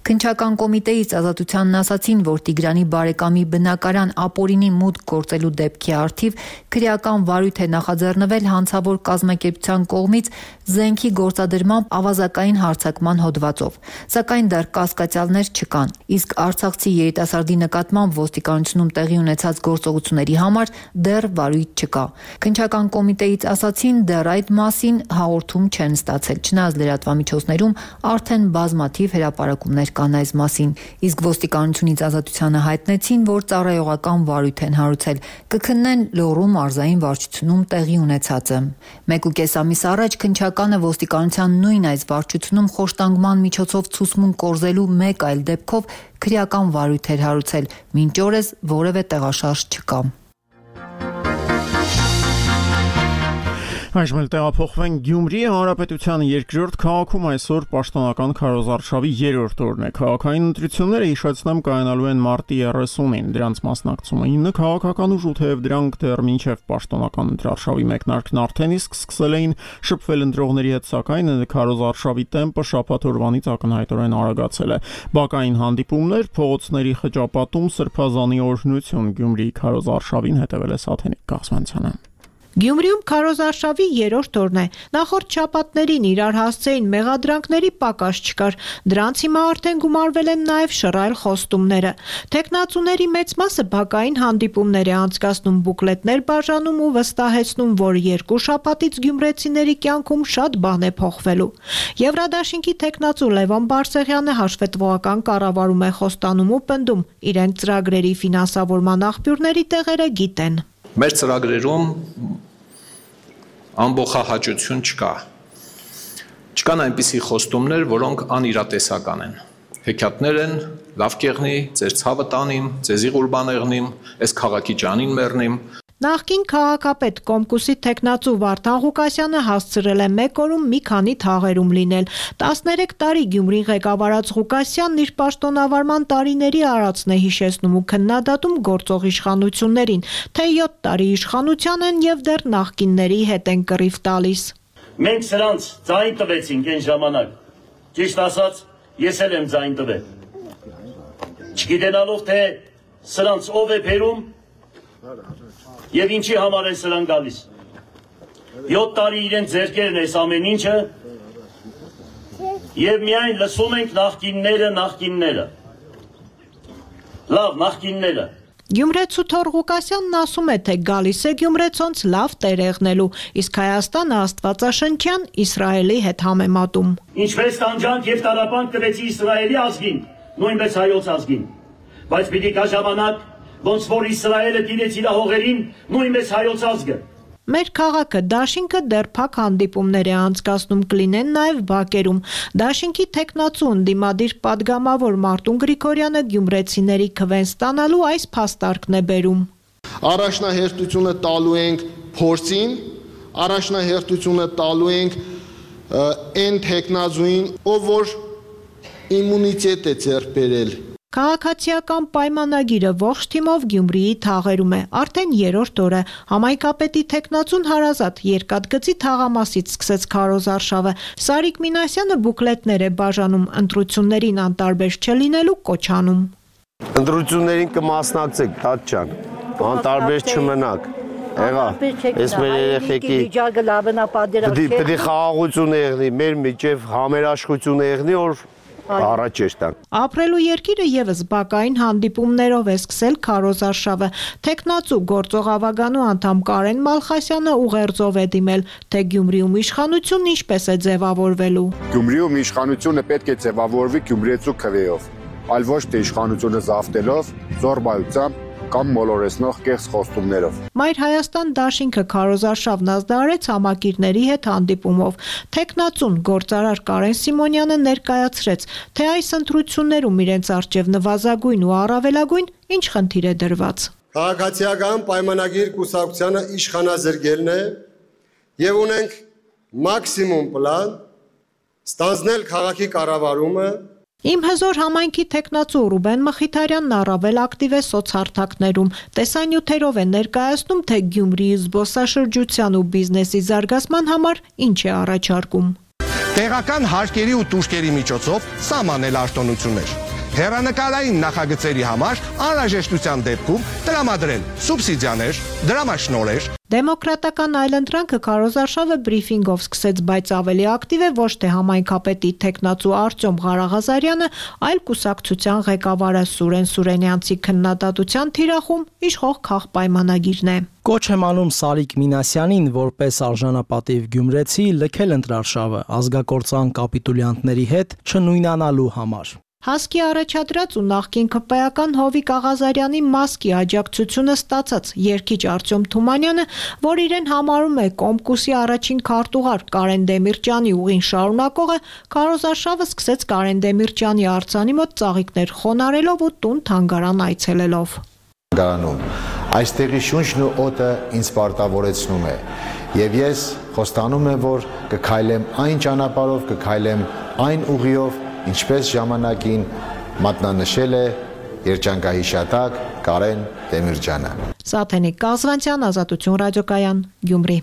Քննչական կոմիտեից ազատությանն ասացին, որ Տիգրանի բարեկամի բնակարան ապօրինի մուտք գործելու դեպքի առթիվ քրեական վարույթ է նախաձեռնվել հանցավոր կազմակերպության կողմից զենքի գործադրմամբ ավազակային հարձակման հոդվածով, սակայն դեռ կասկածյալներ չկան, իսկ արցախցի երիտասարդի նկատմամբ ոստիկանությունում տեղի ունեցած գործողությունների համար դեռ վարույթ չկա։ Քննչական կոմիտեից ասացին, դեռ այդ մասին հաղորդում չեն ստացել, չնայած լրատվամիջոցներում արդեն բազմաթիվ հրապարակումներ կան այս մասին, իսկ ոստիկանությունից ազատությանը հայտնեցին, որ ծառայողական վարույթ են հարուցել, կքննեն Լոռու մարզային վարչությունում տեղի ունեցածը։ 1.5 ամիս առաջ քննչականը ոստիկանության նույն այս վարչությունում խոշտանգման միջոցով ցուսմուն կորզելու մեկ այլ դեպքով քրեական վարույթ էր հարուցել, մինչ օրս որևէ տեղաշարժ չկա։ Այժմ տեղափոխվենք Գյումրի Հանրապետության երկրորդ քաղաքում այսօր պաշտոնական քարոզարշավի 3-րդ օրն է։ Քաղաքային ընտրությունները հիշեցնեմ կայանալու են մարտի 30-ին։ Դրանց մասնակցում են 9 քաղաքական ուժ ու թեև դրանք դեռ մինչև պաշտոնական ընտրարշավի մեկնարկն արդեն իսկ սկսել էին շփվել ընտրողների հետ, սակայն քարոզարշավի տեմպը շաբաթ օրվանից ակնհայտորեն արագացել է։ Բակային հանդիպումներ, փողոցների խճապատում, սրբազանի օրհնություն Գյումրիի քարոզարշավին հետևել է Սաթենիկ Կաղցմանցյանը։ Գյումրիում քարոզարշավի 3-րդ օրն է։ Նախորդ շաբաթներին իրար հասցեին մեղադրանքների պակաս չկար։ Դրանց հիմա արդեն գումարվել են նաև շռայլ խոստումները։ Թեկնածուների մեծ մասը բակային հանդիպումներ է անցկացնում, բուկլետներ բաժանում ու վստահեցնում, որ 2 շաբաթից գյումրեցիների կյանքում շատ բան է փոխվելու։ Եվրադաշինքի թեկնածու Լևոն Բարսեղյանը հաշվետվողական կառավարում է խոստանում ու պնդում, իրենք ծրագրերի ֆինանսավորման աղբյուրների տեղերը գիտեն։ Մեր ծրագրերում ամբողջահաճություն չկա։ Չկան այնպիսի խոստումներ, որոնք անիրատեսական են։ Հեքիաթներ են, լավ կեղնի, ձեր ցավը տանիմ, ձեզի ղուրբան եղնիմ, այս քաղաքի ջանին մեռնիմ։ Նախկին քաղաքապետ Կոմկուսի թեկնածու Վարդան Ղուկասյանը հասցրել է մեկ օրում մի քանի թաղերում լինել։ 13 տարի Գյումրին ղեկավարած Ղուկասյանն իր պաշտոնավարման տարիների արածն է հիշեցնում ու քննադատում գործող իշխանություններին, թե 7 տարի իշխանության են եւ դեռ նախկինների հետ են կռիվ տալիս։ Մենք սրանց ձայն տվեցինք այն ժամանակ։ Ճիշտ ասած, ես էլ եմ ձայն տվել։ Չգիտենալով թե սրանց ով է բերում Եվ ինչի համար է սրան գալիս։ 7 տարի իրենց ձեռքերն էս ամեն ինչը Եվ միայն լսում ենք նախկինները։ Լավ, նախկինները։ Գյումրեցու Թոր Ղուկասյանն ասում է, թե գալիս է գյումրեցոնց լավ տեր եղնելու, իսկ Հայաստանը աստվածաշնչյան Իսրայելի հետ համեմատում։ Ինչպես տանջանք եւ տարապանք տվեցի Իսրայելի ազգին, նույնպես հայոց ազգին, բայց պիտի կա ժամանակ ոնց որ Իսրայելը տիրեց իր հողերին, նույնպես հայոց ազգը։ Մեր քաղաքը Դաշինքը դեռ փակ հանդիպումներ է անցկացնում, կլինեն նաև բակերում։ Դաշինքի թեկնածու ընդդիմադիր պատգամավոր Մարտուն Գրիգորյանը գյումրեցիների քվեն ստանալու այս փաստարկն է բերում։ Առաջնահերթությունը տալու ենք փորձին, առաջնահերթությունը տալու ենք այն թեկնածուին, ով որ իմունիտետ է ձեռք բերել։ Քաղաքացիական պայմանագիրը ողջ թիմով Գյումրիի թաղերում է, արդեն 3-րդ օրը։ Համայնքապետի թեկնածուն Հարազատ Երկաթգծի թաղամասից սկսեց քարոզարշավը։ Սարիկ Մինասյանը բուկլետներ է բաժանում, ընտրություններին անտարբեր չլինելու կոչանում։ Ընտրություններին կմասնակցեք, Տաճ ջան, անտարբեր չմնաք։ Եղա, ես մեր երեխեքի պետք է խաղաղություն եղնի, մեր միջև համերաշխություն եղնի, որ Առաջ եշտան։ Ապրելու երկիրը եւս բակային հանդիպումներով է սկսել քարոզարշավը։ Տեխնացու գործող ավագանու անդամ Կարեն Մալխասյանը ուղերձով է դիմել, թե Գյումրիում իշխանությունն ինչպես է ձևավորվելու։ Գյումրիում իշխանությունը պետք է ձևավորվի գյումրիեցու քվեով, այլ ոչ թե իշխանությունը զավթելով, զորբայությամբ կամ մոլորեսնող կեղծ խոստումներով։ Մայր Հայաստան դաշինքը քարոզարշավն ազդարարեց համակիրների հետ հանդիպումով։ Տեխնացուն գործարար Կարեն Սիմոնյանը ներկայացրեց, թե այս ընտրություններում իրենց առջև նվազագույն ու առավելագույն ինչ խնդիր է դրված։ Քաղաքացիական պայմանագիր կուսակցությանը իշխանազրկելն է եւ ունենք մաքսիմում պլան ստանձնել քաղաքի կառավարումը։ Իմ հզոր համայնքի տեխնացու Ռուբեն Մխիթարյանն առավել ակտիվ է սոցհարթակներում։ Տեսանյութերով է ներկայացնում, թե Գյումրիի զբոսաշրջության ու բիզնեսի զարգացման համար ինչ է առաջարկում։ Տեղական հարկերի ու տուժկերի միջոցով սահմանել արտոնություններ։ Հեռանկարային նախագծերի համար անհրաժեշտության դեպքում տրամադրել սուբսիդիաներ, դրամաշնորհեր։ Դեմոկրատական այլընտրանքը քարոզարշավը բրիֆինգով սկսեց, բայց ավելի ակտիվ է ոչ թե համայնքապետի տեխնացու Արտյոմ Ղարաղազարյանը, այլ կուսակցության ղեկավարը Սուրեն Սուրենյանցի քննադատության թիրախում իշխող քաղպայմանագիրն է։ Կոչ եմ անում Սարիկ Մինասյանին, որպես արժանապատիվ գյումրեցի, լքել ընտրարշավը ազգակործան կապիտուլյանտների հետ չնույնանալու համար։ Հասկի առաջադրած ու նախկին քպայական Հովիկ Աղազարյանի մասկի աջակցությունը ստացած երգիչ Արտյոմ Թումանյանը, որ իրեն համարում է Կոմկուսի առաջին քարտուղար Կարեն Դեմիրճյանի ուղին շարունակողը, քարոզարշավը սկսեց Կարեն Դեմիրճյանի արձանի մոտ ծաղիկներ խոնարելով ու տուն թանգարան այցելելով։ Այստեղի շունչն ու օդը ինձ պարտավորեցնում է, եւ ես խոստանում եմ, որ կքայլեմ այն ճանապարհով, կքայլեմ այն ուղիով, ինչպես ժամանակին մատնանշել է երջանկահիշատակ Կարեն Դեմիրճյանը։ Սաթենիկ Կազվանցյան, Ազատություն ռադիոկայան, Գյումրի։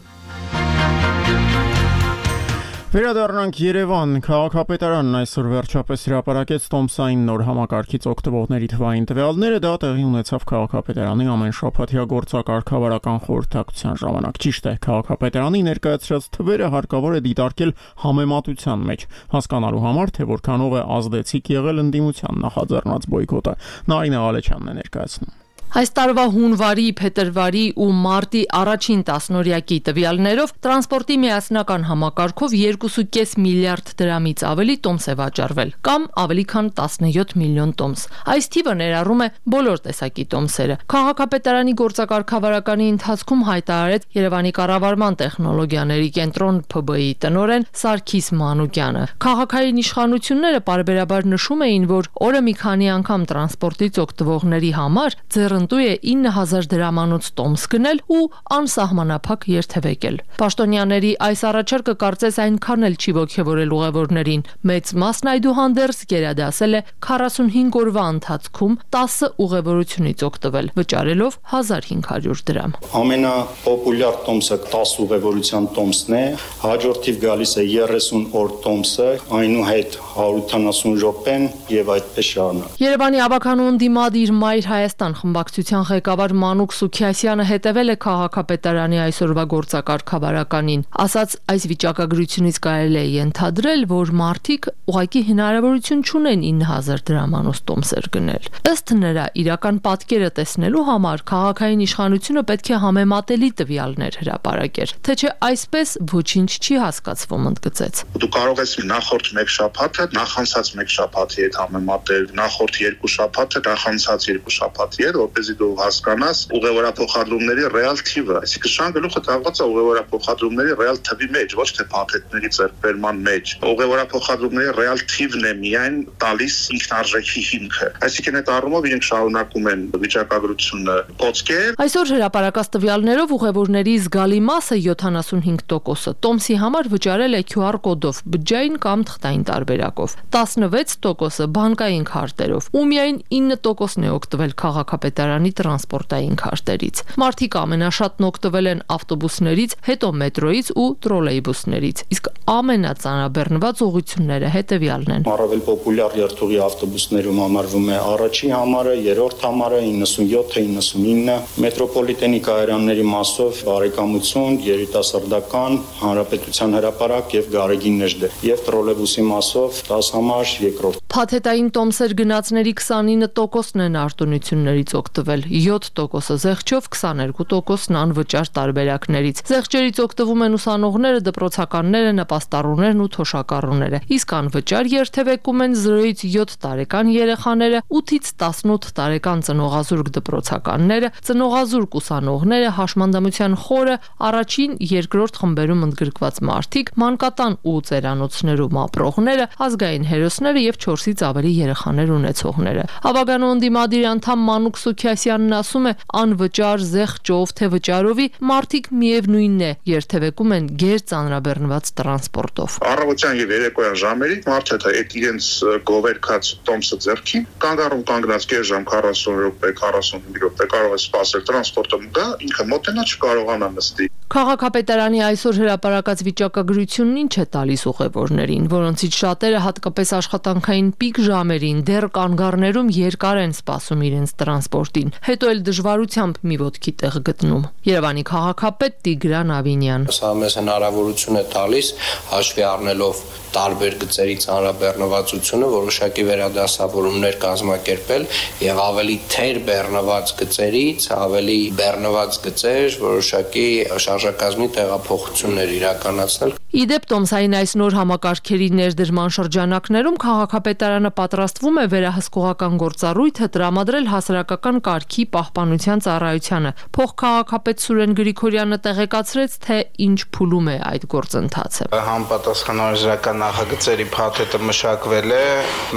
Վերադառնանք Երևան, քաղաքապետարանն այսօր վերջապես հրապարակեց տոմսային նոր համակարգից օգտվողների թվային տվյալները, դա տեղի ունեցավ քաղաքապետարանի ամեն շաբաթյա գործակարգավարական խորհրդակցության ժամանակ։ Ճիշտ է, քաղաքապետարանի ներկայացրած թվերը հարկավոր է դիտարկել համեմատության մեջ, հասկանալու համար, թե որքանով է ազդեցիկ եղել ընդդիմության նախաձեռնած բոյկոտը։ Նարինե Ղալեչյանն է ներկայացնում։ Այս տարվա հունվարի, փետրվարի ու մարտի առաջին տասնօրյակի տվյալներով տրանսպորտի միասնական համակարգով 2.5 միլիարդ դրամից ավելի տոմս է վաճառվել, կամ ավելի քան 17 միլիոն տոմս։ Այս թիվը ներառում է բոլոր տեսակի տոմսերը։ Քաղաքապետարանի գործակարգավարականի ընթացքում հայտարարեց Երևանի կառավարման տեխնոլոգիաների կենտրոն ՓԲ-ի տնօրեն Սարգիս Մանուկյանը։ Քաղաքային իշխանությունները պարբերաբար նշում էին, որ օրը մի քանի անգամ տրանսպորտից օգտվողների համար ընտու է 9000 դրամանոց տոմս գնել ու անսահմանափակ երթևեկել։ Պաշտոնյաների այս առաջարկը կարծես այնքան էլ չի ոգևորել ուղևորներին։ Մեծ մասն այդուհանդերձ գերադասել է 45 օրվա ընթացքում 10 ուղևորությունից օգտվել, վճարելով 1500 դրամ։ Ամենապոպուլյար տոմսը 10 ուղևորության տոմսն է, հաջորդիվ գալիս է 30 օր տոմսը, այնուհետ 180 րոպեն եւ այդպես շարունակ։ Երևանի ավականու ընդդիմադիր Մայր Հայաստան խմբակցության ղեկավար Մանուկ Սուքիասյանը հետևել է քաղաքապետարանի այսօրվա գործակարգավարականին։ Ասաց, այս վիճակագրությունից կարելի է ենթադրել, որ մարդիկ ուղղակի հնարավորություն չունեն 9000 դրամանոց տոմսեր գնել։ Ըստ նրա, իրական պատկերը տեսնելու համար քաղաքային իշխանությունը պետք է համեմատելի տվյալներ հրապարակեր, թե չէ այսպես ոչինչ չի հասկացվում, ընդգծեց։ Դու կարող ես նախորդ մեկ շաբաթը նախանցած մեկ շաբաթի հետ համեմատել, նախորդ երկու շաբաթը նախանցած երկու շաբաթի հետ, որպեսզի դու հասկանաս ուղևորափոխադրումների ռեալ թիվը, այսինքն շան գլուխը տաղված է ուղևորափոխադրումների ռեալ թվի մեջ, ոչ թե փաթեթների ձեռքբերման մեջ։ Ուղևորափոխադրումների ռեալ թիվն է միայն տալիս ինքնարժեքի հիմքը։ Այսինքն այդ առումով իրենք շարունակում են վիճակագրությունը կոծկել։ Այսօր հրապարակած տվյալներով ուղևորների զգալի մասը 75% տոմսի համար վճարել է QR կոդով, բջջային կամ թղթային տարբերակով, 16% բանկային քարտերով ու միայն 9% է օգտվել քաղաքապետարանի քաղաքապետարանի տրանսպորտային քարտերից։ Մարդիկ ամենաշատն օգտվել են ավտոբուսներից, հետո մետրոյից ու տրոլեյբուսներից, իսկ ամենածանրաբեռնված ուղղությունները հետևյալն են։ Առավել պոպուլյար երթուղի ավտոբուսներում համարվում է առաջին համարը, երրորդ համարը, 97-99, մետրոպոլիտենի կայարանների մասով բարեկամություն, երիտասարդական, հանրապետության հրապարակ եւ Գարեգին Նժդե, եւ տրոլեյբուսի մասով 10 համար երկրորդ։ Փաթեթային տոմսեր գնացների 29%-ն են արտոնություններից օգտվել, 7%-ը զեղչով, 22%-ն անվճար տարբերակներից։ Զեղչերից օգտվում են ուսանողները, դպրոցականները, նպաստառուներն ու թոշակառուները, իսկ անվճար երթևեկում են 0-ից 7 տարեկան երեխաները, 8-ից 18 տարեկան ծնողազուրկ դպրոցականները, ծնողազուրկ ուսանողները, հաշմանդամության խորը, առաջին, երկրորդ խմբերում ընդգրկված մարդիկ, մանկատան ու ծերանոցներում ապրողները, ազգային հերոսները եւ 4-ից ավելի երեխաներ ունեցողները։ Հավագանու ընդդիմադիր անդամ Մանուկ Սուքիասյանն ասում է, անվճար զեղչով թե վճարովի մարդիկ միևնույնն է երթևեկում են գերծանրաբեռնված տրանսպորտով։ Առավոտյան եւ երեկոյան ժամերի մարդը այդ իրենց գովերքած տոմսը ձեռքին կանգառում կանգնած կես ժամ 40 րոպե 45 րոպե կարող է սպասել տրանսպորտը դա ինքը մոտենա չկարողանա նստի։ Քաղաքապետարանի այսօր հրապարակած վիճակագրությունն ինչ է տալիս ուղևորներին, որոնցից շատերը հատկապես աշխատանքային պիկ ժամերին դեռ կանգառներում երկար են սպասում իրենց տրանսպորտին, հետո էլ դժվարությամբ մի ոտքի տեղ գտնում։ Երևանի քաղաքապետ Տիգրան Ավինյան։ Սա մեզ հնարավորություն է տալիս հաշվի առնելով տարբեր գծերի ծանրաբեռնվածությունը որոշակի վերադասավորումներ կազմակերպել եւ ավելի թեր բեռնված գծերից ավելի բեռնված գծեր որոշակի շարժակազմի տեղափոխություններ իրականացնել։ Իդեպ տոմսային այս նոր համակարգերի ներդրման շրջանակներում քաղաքապետարանը պատրաստվում է վերահսկողական գործառույթը տրամադրել հասարակական կարգի պահպանության ծառայությանը։ Փոխքաղաքապետ Սուրեն Գրիգորյանը տեղեկացրեց, թե ինչ փուլում է այդ գործընթացը։ Համապատասխանորժական նախագծերի փաթեթը մշակվել է,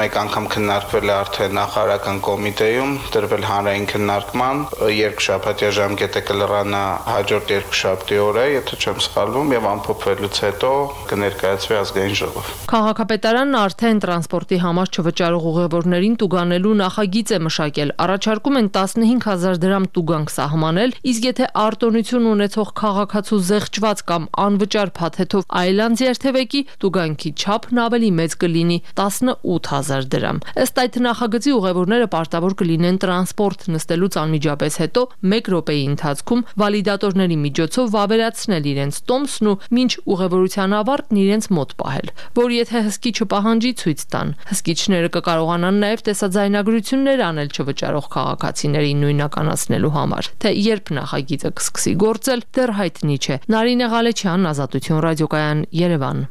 մեկ անգամ քննարկվել է արդեն նախարարական կոմիտեում, դրվել հանրային քննարկման, երկշաբաթյա ժամկետը կլրանա հաջորդ երկշաբթի օրը, եթե չեմ սխալվում, եւ ամփոփվելուց հետո կներկայացվի ազգային ժողով։ Քաղաքապետարանն արդեն տրանսպորտի համար չվճարող ուղևորներին տուգանելու նախագիծ է մշակել։ Առաջարկում են 15000 դրամ տուգանք սահմանել, իսկ եթե արտոնություն ունեցող քաղաքացու զեղչված կամ անվճար փաթեթով այլանց երթևեկի, տուգանքի չափն ավելի մեծ կլինի 18000 դրամ։ Ըստ այդ նախագծի ուղևորները պարտավոր կլինեն տրանսպորտ նստելուց անմիջապես հետո 1 րոպեի ընթացքում վալիդատորների միջոցով վավերացնել իրենց տոմսն ու մինչ ուղևորության ավարտն իրենց մոտ պահել, որ եթե հսկիչը պահանջի ցույց տան։ Հսկիչները կկարողանան նաև տեսաձայնագրություններ անել չվճարող քաղաքացիներին նույնականացնելու համար։ Թե երբ նախագիծը կսկսի գործել, դեռ հայտնի չէ։ Նարինե Ղալեչյան, Ազատություն ռադիոկայան, Երևան։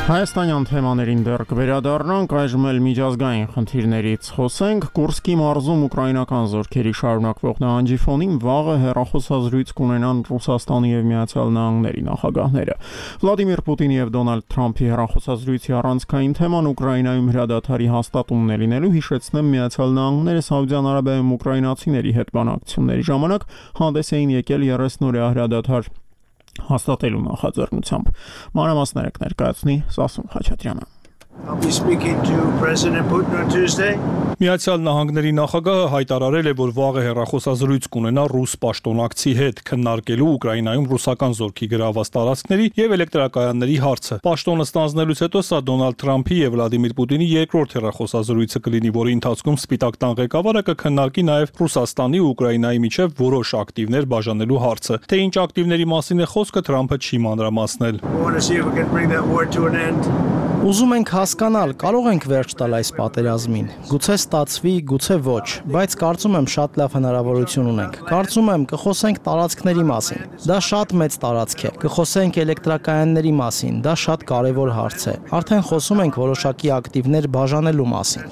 Հայաստանյան թեմաներին դեռ կվերադառնանք, այժմ էլ միջազգային խնդիրներից խոսենք։ Կուրսկի մարզում ուկրաինական զորքերի շարունակվող նահանջի ֆոնին վաղը հեռախոսազրույց կունենան Ռուսաստանի եւ Միացյալ Նահանգների նախագահները։ Վլադիմիր Պուտինի եւ Դոնալդ Թրամփի հեռախոսազրույցի առանցքային թեման Ուկրաինայում հրադադարի հաստատումն է լինելու, հիշեցնեմ, Միացյալ Նահանգները Սաուդյան Արաբիայում ուկրաինացիների հետ բանակցությունների ժամանակ հանդես էին եկել 30-օրյա հրադադար հաստատելու նախաձեռնությամբ։ Մանրամասները կներկայացնի Սասուն Խաչատրյանը։ I'll be speaking to President Putin on Tuesday. Միացյալ Նահանգների նախագահը հայտարարել է, որ վաղը հեռախոսազրույց կունենա ռուս պաշտոնակցի հետ, քննարկելու Ուկրաինայում ռուսական զորքի գրաված տարածքների եւ էլեկտրակայանների հարցը։ Պաշտոնը ստանձնելուց հետո սա Դոնալդ Թրամփի եւ Վլադիմիր Պուտինի երկրորդ հեռախոսազրույցը կլինի, որի ընթացքում Սպիտակ տան ղեկավարը կքննարկի նաեւ Ռուսաստանի ու Ուկրաինայի միջև որոշ ակտիվներ բաժանելու հարցը։ Թե ինչ ակտիվների մասին է խոսքը, Թրամփը չի մանրամասնել։ Ուզում ենք հասկանալ, կարող ենք վերջ տալ այս պատերազմին։ Գուցե ստացվի, գուցե ոչ, բայց կարծում եմ շատ լավ հնարավորություն ունենք։ Կարծում եմ կխոսենք տարածքների մասին։ Դա շատ մեծ տարածք է։ Կխոսենք էլեկտրակայանների մասին, դա շատ կարևոր հարց է։ Արդեն խոսում ենք որոշակի ակտիվներ բաժանելու մասին։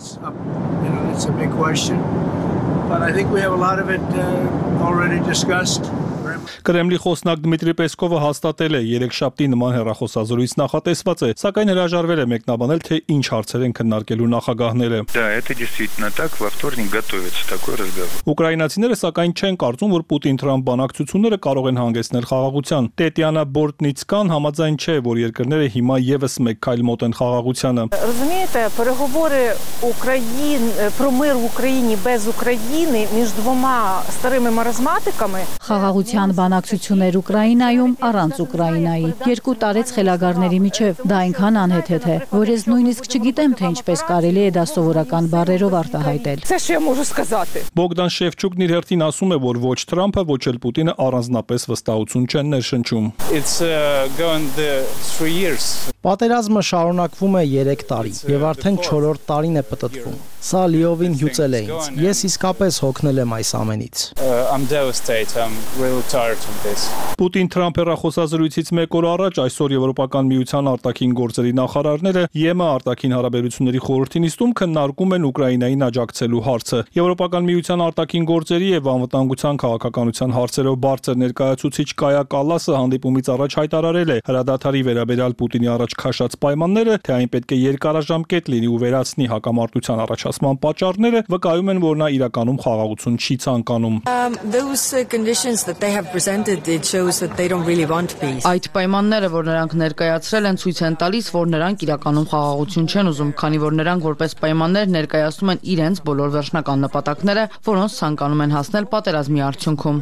Կրեմլի խոսնակ Դմիտրի Պեսկովը հաստատել է երեքշաբթի նման հեռախոսազրույց նախատեսված է, սակայն հրաժարվել է մեկնաբանել, թե ինչ հարցեր են քննարկելու նախագահները։ Да, это действительно так, во вторник готовится такой разговор. Ուկրաինացիները սակայն չեն կարծում, որ Պուտին-Թրամփ բանակցությունները կարող են հանգեցնել խաղաղության։ Տետյանա Բորտնիցկան համաձայն չէ, որ երկրները հիմա եւս մեկ քայլ մոտ են խաղաղությանը։ Розумієте, переговори про мир в Україні без України між двома старими маразматиками. Խաղաղության բանակցություններ Ուկրաինայում առանց Ուկրաինայի երկու տարեց խելագարների միջև դա այնքան անհեթեթ է, որ ես նույնիսկ չգիտեմ, թե ինչպես կարելի է դա սովորական բառերով արտահայտել։ Це що я можу сказати? Բոգդան Շևչուկն իր հերթին ասում է, որ ոչ Թրամփը, ոչ էլ Պուտինը առանձնապես վստահություն չեն ներշնչում։ Պատերազմը շարունակվում է 3 տարի եւ արդեն 4-րդ տարին է պտտվում։ Սա լիովին հյուծել է ինձ։ Ես իսկապես հոգնել եմ այս ամենից։ Պուտին-Թրամփ հեռախոսազրույցից մեկ օր առաջ այսօր Եվրոպական միության արտաքին գործերի նախարարները ԵՄ արտաքին հարաբերությունների խորհրդի նիստում քննարկում են Ուկրաինային աջակցելու հարցը։ Եվրոպական միության արտաքին գործերի եւ անվտանգության քաղաքականության հարցերով բարձր ներկայացուցիչ Կայա Կալասը հանդիպումից առաջ հայտարարել է հրադադարի վերաբերյալ Պուտինի առաջ քաշած պայմանները, թե այն պետք է երկարաժամկետ լինի ու վերացնի հակամարտության առաջացման պատճառները, վկայում են, որ նա իրականում խաղաղություն չի ցանկանում։ Այդ պայմանները, որ նրանք ներկայացրել են, ցույց են տալիս, որ նրանք իրականում խաղաղություն չեն ուզում, քանի որ նրանք որպես պայմաններ ներկայացնում են իրենց բոլոր վերջնական նպատակները, որոնց ցանկանում են հասնել պատերազմի արդյունքում։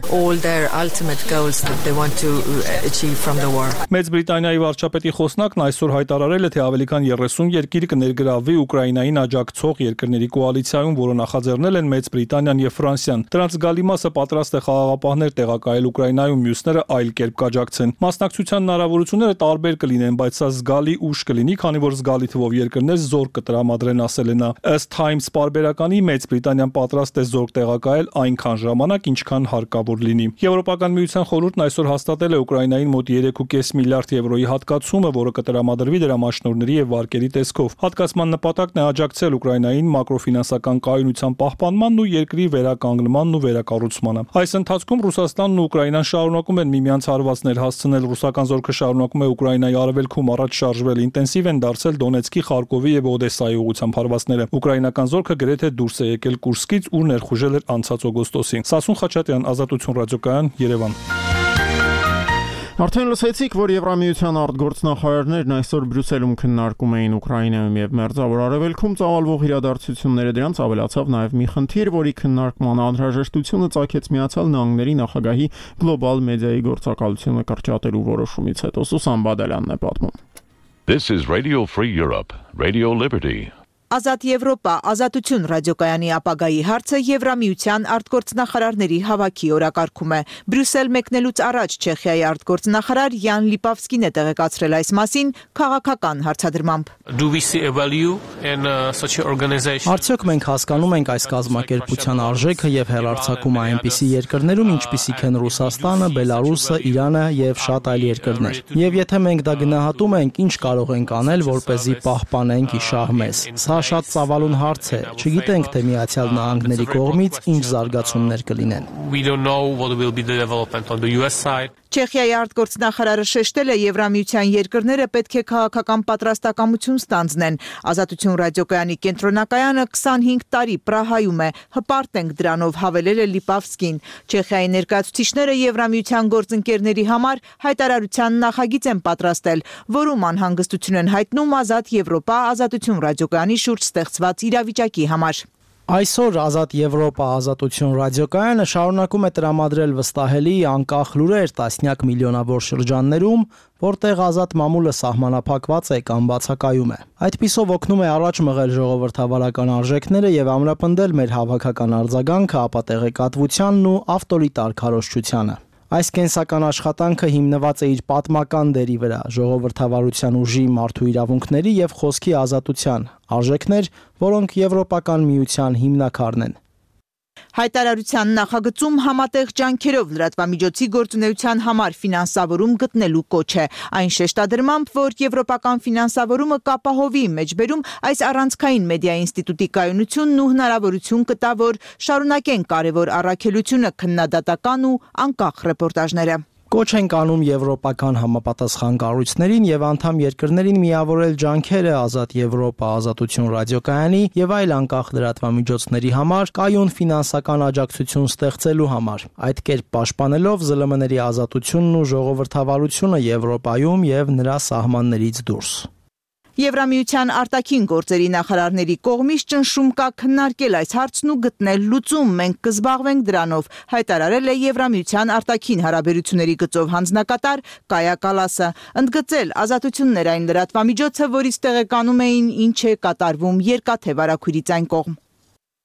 Մեծ Բրիտանիայի վարչապետի խոսնակն այսօր հայտարարել է, թե ավելի քան 30 երկիր կներգրավվի Ուկրաինային աջակցող երկրների կոալիցիայում, որը նախաձեռնել են Մեծ Բրիտանիան եւ Ֆրանսիան։ Դրանց զգալի մասը պատրաստ է խաղաղապահներ տեղակայել Ուկրաինայում, մյուսները այլ կերպ կաջակցեն։ Մասնակցության հնարավորությունները տարբեր կլինեն, բայց սա զգալի ուշ կլինի, քանի որ զգալի թվով երկրներ զորք կտրամադրեն, ասել է նա։ Ըստ Times պարբերականի Մեծ Բրիտանիան պատրաստ է զորք տեղակայել այնքան ժամանակ, ինչքան հարկավոր լինի։ Եվրոպական միության խորհուրդն այսօր հաստատել է Ուկրաինային մոտ 3.5 միլիարդ եվրոյի հատկացումը, որը կտրամադրվի դրամաշնորհների եւ վարկերի տեսքով։ Հատկացման նպատակն է աջակցել Ուկրաինային մակրոֆինանսական կայունության պահպանմանն ու երկրի վերականգնմանն ու վերակառուցմանը։ Այս ընթացքում Ռուսաստանն ու Ուկրաինան շարունակում են միմյանց հարվածներ հասցնել։ Ռուսական զորքը շարունակում է Ուկրաինայի արևելքում առաջ շարժվել, ինտենսիվ են դարձել Դոնեցկի, Խարկովի եւ Օդեսայի ուղղությամբ հարվածները։ Ուկրաինական զորքը գրեթե դուրս է եկել Կուրսկից, ուր ներխուժել էր անցած օգոստոսին։ Սասուն Խաչատրյան, Ազատություն ռադիոկայան, Երևան։ Արդեն լսեցիք, որ Եվրամիության արտգործնախարարներն այսօր Բրյուսելում քննարկում էին Ուկրաինայում եւ Մերձավոր Արևելքում ծավալվող իրադարձությունները, դրանց ավելացավ նաեւ մի խնդիր, որի քննարկման անհրաժեշտությունը ցակեց Միացյալ Նահանգների նախագահի գլոբալ մեդիայի գործակալությունը կրճատելու որոշումից հետո։ Սուսան Բադալյանն է պատմում։ This is Radio Free Europe, Radio Liberty. Ազատ Եվրոպա, Ազատություն ռադիոկայանի ապագայի հարցը Եվրամիության արտգործնախարարների հավաքի օրակարգում է։ Բրյուսել մեկնելուց առաջ Չեխիայի արտգործնախարար Յան Լիպավսկին է տեղեկացրել այս մասին քաղաքական հարցադրմամբ։ Արդյոք մենք հասկանում ենք այս կազմակերպության արժեքը եւ հեռարձակումը այնպիսի երկրներում, ինչպիսիք են Ռուսաստանը, Բելարուսը, Իրանը եւ շատ այլ երկրներ։ Եվ եթե մենք դա գնահատում ենք, ինչ կարող ենք անել, որպեսզի պահպանենք իշահ մեզ։ Շատ ծավալուն հարց է, չգիտենք, թե Միացյալ Նահանգների կողմից ինչ զարգացումներ կլինեն։ Չեխիայի արտգործնախարարը շեշտել է Եվրամիության երկրները պետք է քաղաքական պատրաստակամություն ստանձնեն։ Ազատություն ռադիոկայանի կենտրոնակայանը 25 տարի Պրահայում է, հպարտ ենք դրանով, հավելել է Լիպավսկին։ Չեխիայի ներկայացուցիչները Եվրամիության գործընկերների համար հայտարարության նախագիծ են պատրաստել, որում անհանգստություն են հայտնում Ազատ Եվրոպա, Ազատություն ռադիոկայանի շուրջ ստեղծված իրավիճակի համար։ Այսօր Ազատ Եվրոպա, Ազատություն ռադիոկայանը շարունակում է տրամադրել վստահելի անկախ լուրեր տասնյակ միլիոնավոր շրջաններում, որտեղ ազատ մամուլը սահմանափակված է կամ բացակայում է։ Այդպիսով օգնում է առաջ մղել ժողովրդավարական արժեքները եւ ամրապնդել մեր հավաքական արձագանքը ապատեղեկատվությանն ու ավտորիտար քարոզչությանը։ Այս կենսական աշխատանքը հիմնված է իր պատմական դերի վրա, ժողովրդավարության ուժի, մարդու իրավունքների եւ խոսքի ազատության, արժեքներ, որոնք Եվրոպական միության հիմնաքարն են։ Հայտարարության նախագծում համատեղ ջանքերով լրատվամիջոցի գործունեության համար ֆինանսավորում գտնելու կոչ է։ Այն շեշտադրմամբ, որ եվրոպական ֆինանսավորումը կապահովի մեջբերում այս առանցքային մեդիա ինստիտուտի կայունությունն ու հնարավորություն կտա, որ շարունակեն կարևոր առաքելությունը քննադատական ու անկախ ռեպորտաժները։ Կոչ ենք անում եվրոպական համապատասխան կառույցներին եւ անդամ երկրներին միավորել ջանքերը Ազատ Եվրոպա, Ազատություն ռադիոկայանի եւ այլ անկախ լրատվամիջոցների համար կայուն ֆինանսական աջակցություն ստեղծելու համար, այդ կերպ պաշտպանելով ԶԼՄ-ների ազատությունն ու ժողովրդավարությունը Եվրոպայում եւ նրա սահմաններից դուրս։ Եվրամիության արտաքին գործերի նախարարների կողմից ճնշում կա քննարկել այս հարցն ու գտնել լուծում, մենք կզբաղվենք դրանով, հայտարարել է Եվրամիության արտաքին հարաբերությունների գծով հանձնակատար Կայա Կալասը, ընդգծել ազատություններ այն լրատվամիջոցը, որից տեղեկանում էին ինչ է կատարվում Երկաթե վարագույրից այն կողմ։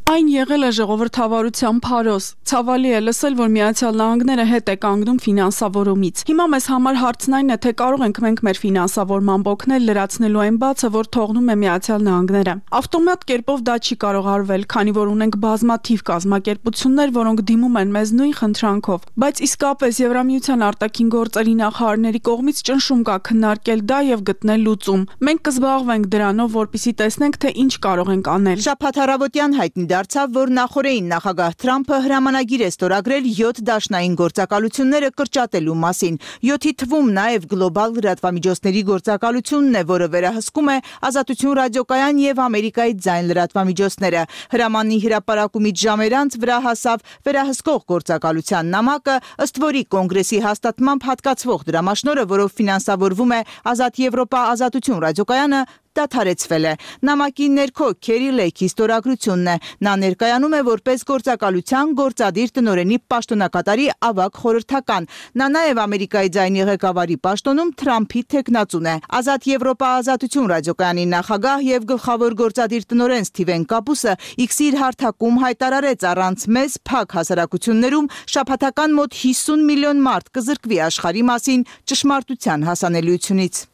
Այն եղել է ժողովրդավարության փարոս։ Ցավալի է լսել, որ Միացյալ Նահանգները հետ է կանգնում ֆինանսավորումից։ Հիմա մեզ համար հարցն այն է, թե կարող ենք մենք մեր ֆինանսավորմամբ օգնել լրացնելու այն բացը, որ թողնում է Միացյալ Նահանգները։ Ավտոմատ կերպով դա չի կարող արվել, քանի որ ունենք բազմաթիվ կազմակերպություններ, որոնք դիմում են մեզ նույն խնդրանքով։ Բայց իսկապես Եվրամիության արտաքին գործերի նախարարների կողմից ճնշում կա քննարկել դա եւ գտնել լուծում։ Մենք կզբաղվենք դրանով, որպեսզի տեսնենք, թե ինչ կարող ենք անել։ Շաբաթ առավոտյան հայտնի դարձավ, որ նախորդին նախագահ Թրամփը հրամանագիր է ստորագրել 7 դաշնային գործակալությունները կրճատելու մասին։ 7-ի թվում նաև գլոբալ լրատվամիջոցների գործակալությունն է, որը վերահսկում է Ազատություն ռադիոկայան եւ Ամերիկայի ձայն լրատվամիջոցները։ Հրամանի հրապարակումից ժամեր անց վրա հասավ վերահսկող գործակալության նամակը, ըստ որի կոնգրեսի հաստատմամբ հատկացվող դրամաշնորհը, որով ֆինանսավորվում է Ազատ Եվրոպա Ազատություն ռադիոկայանը, դադարեցվել է։ Նամակի ներքո Քերի Լեյքի ստորագրությունն է։ Նա ներկայանում է որպես գործակալության գործադիր տնօրենի պաշտոնակատարի ավագ խորհրդական։ Նա նաև Ամերիկայի ձայնի ղեկավարի պաշտոնում Թրամփի թեկնածուն է։ Ազատ Եվրոպա Ազատություն ռադիոկայանի նախագահ եւ գլխավոր գործադիր տնօրեն Սթիվեն Կապուսը X-ի իր հարթակում հայտարարեց առանց մեզ փակ հասարակություններում շաբաթական մոտ 50 միլիոն մարդ կզրկվի աշխարհի մասին ճշմարտության հասանելիությունից։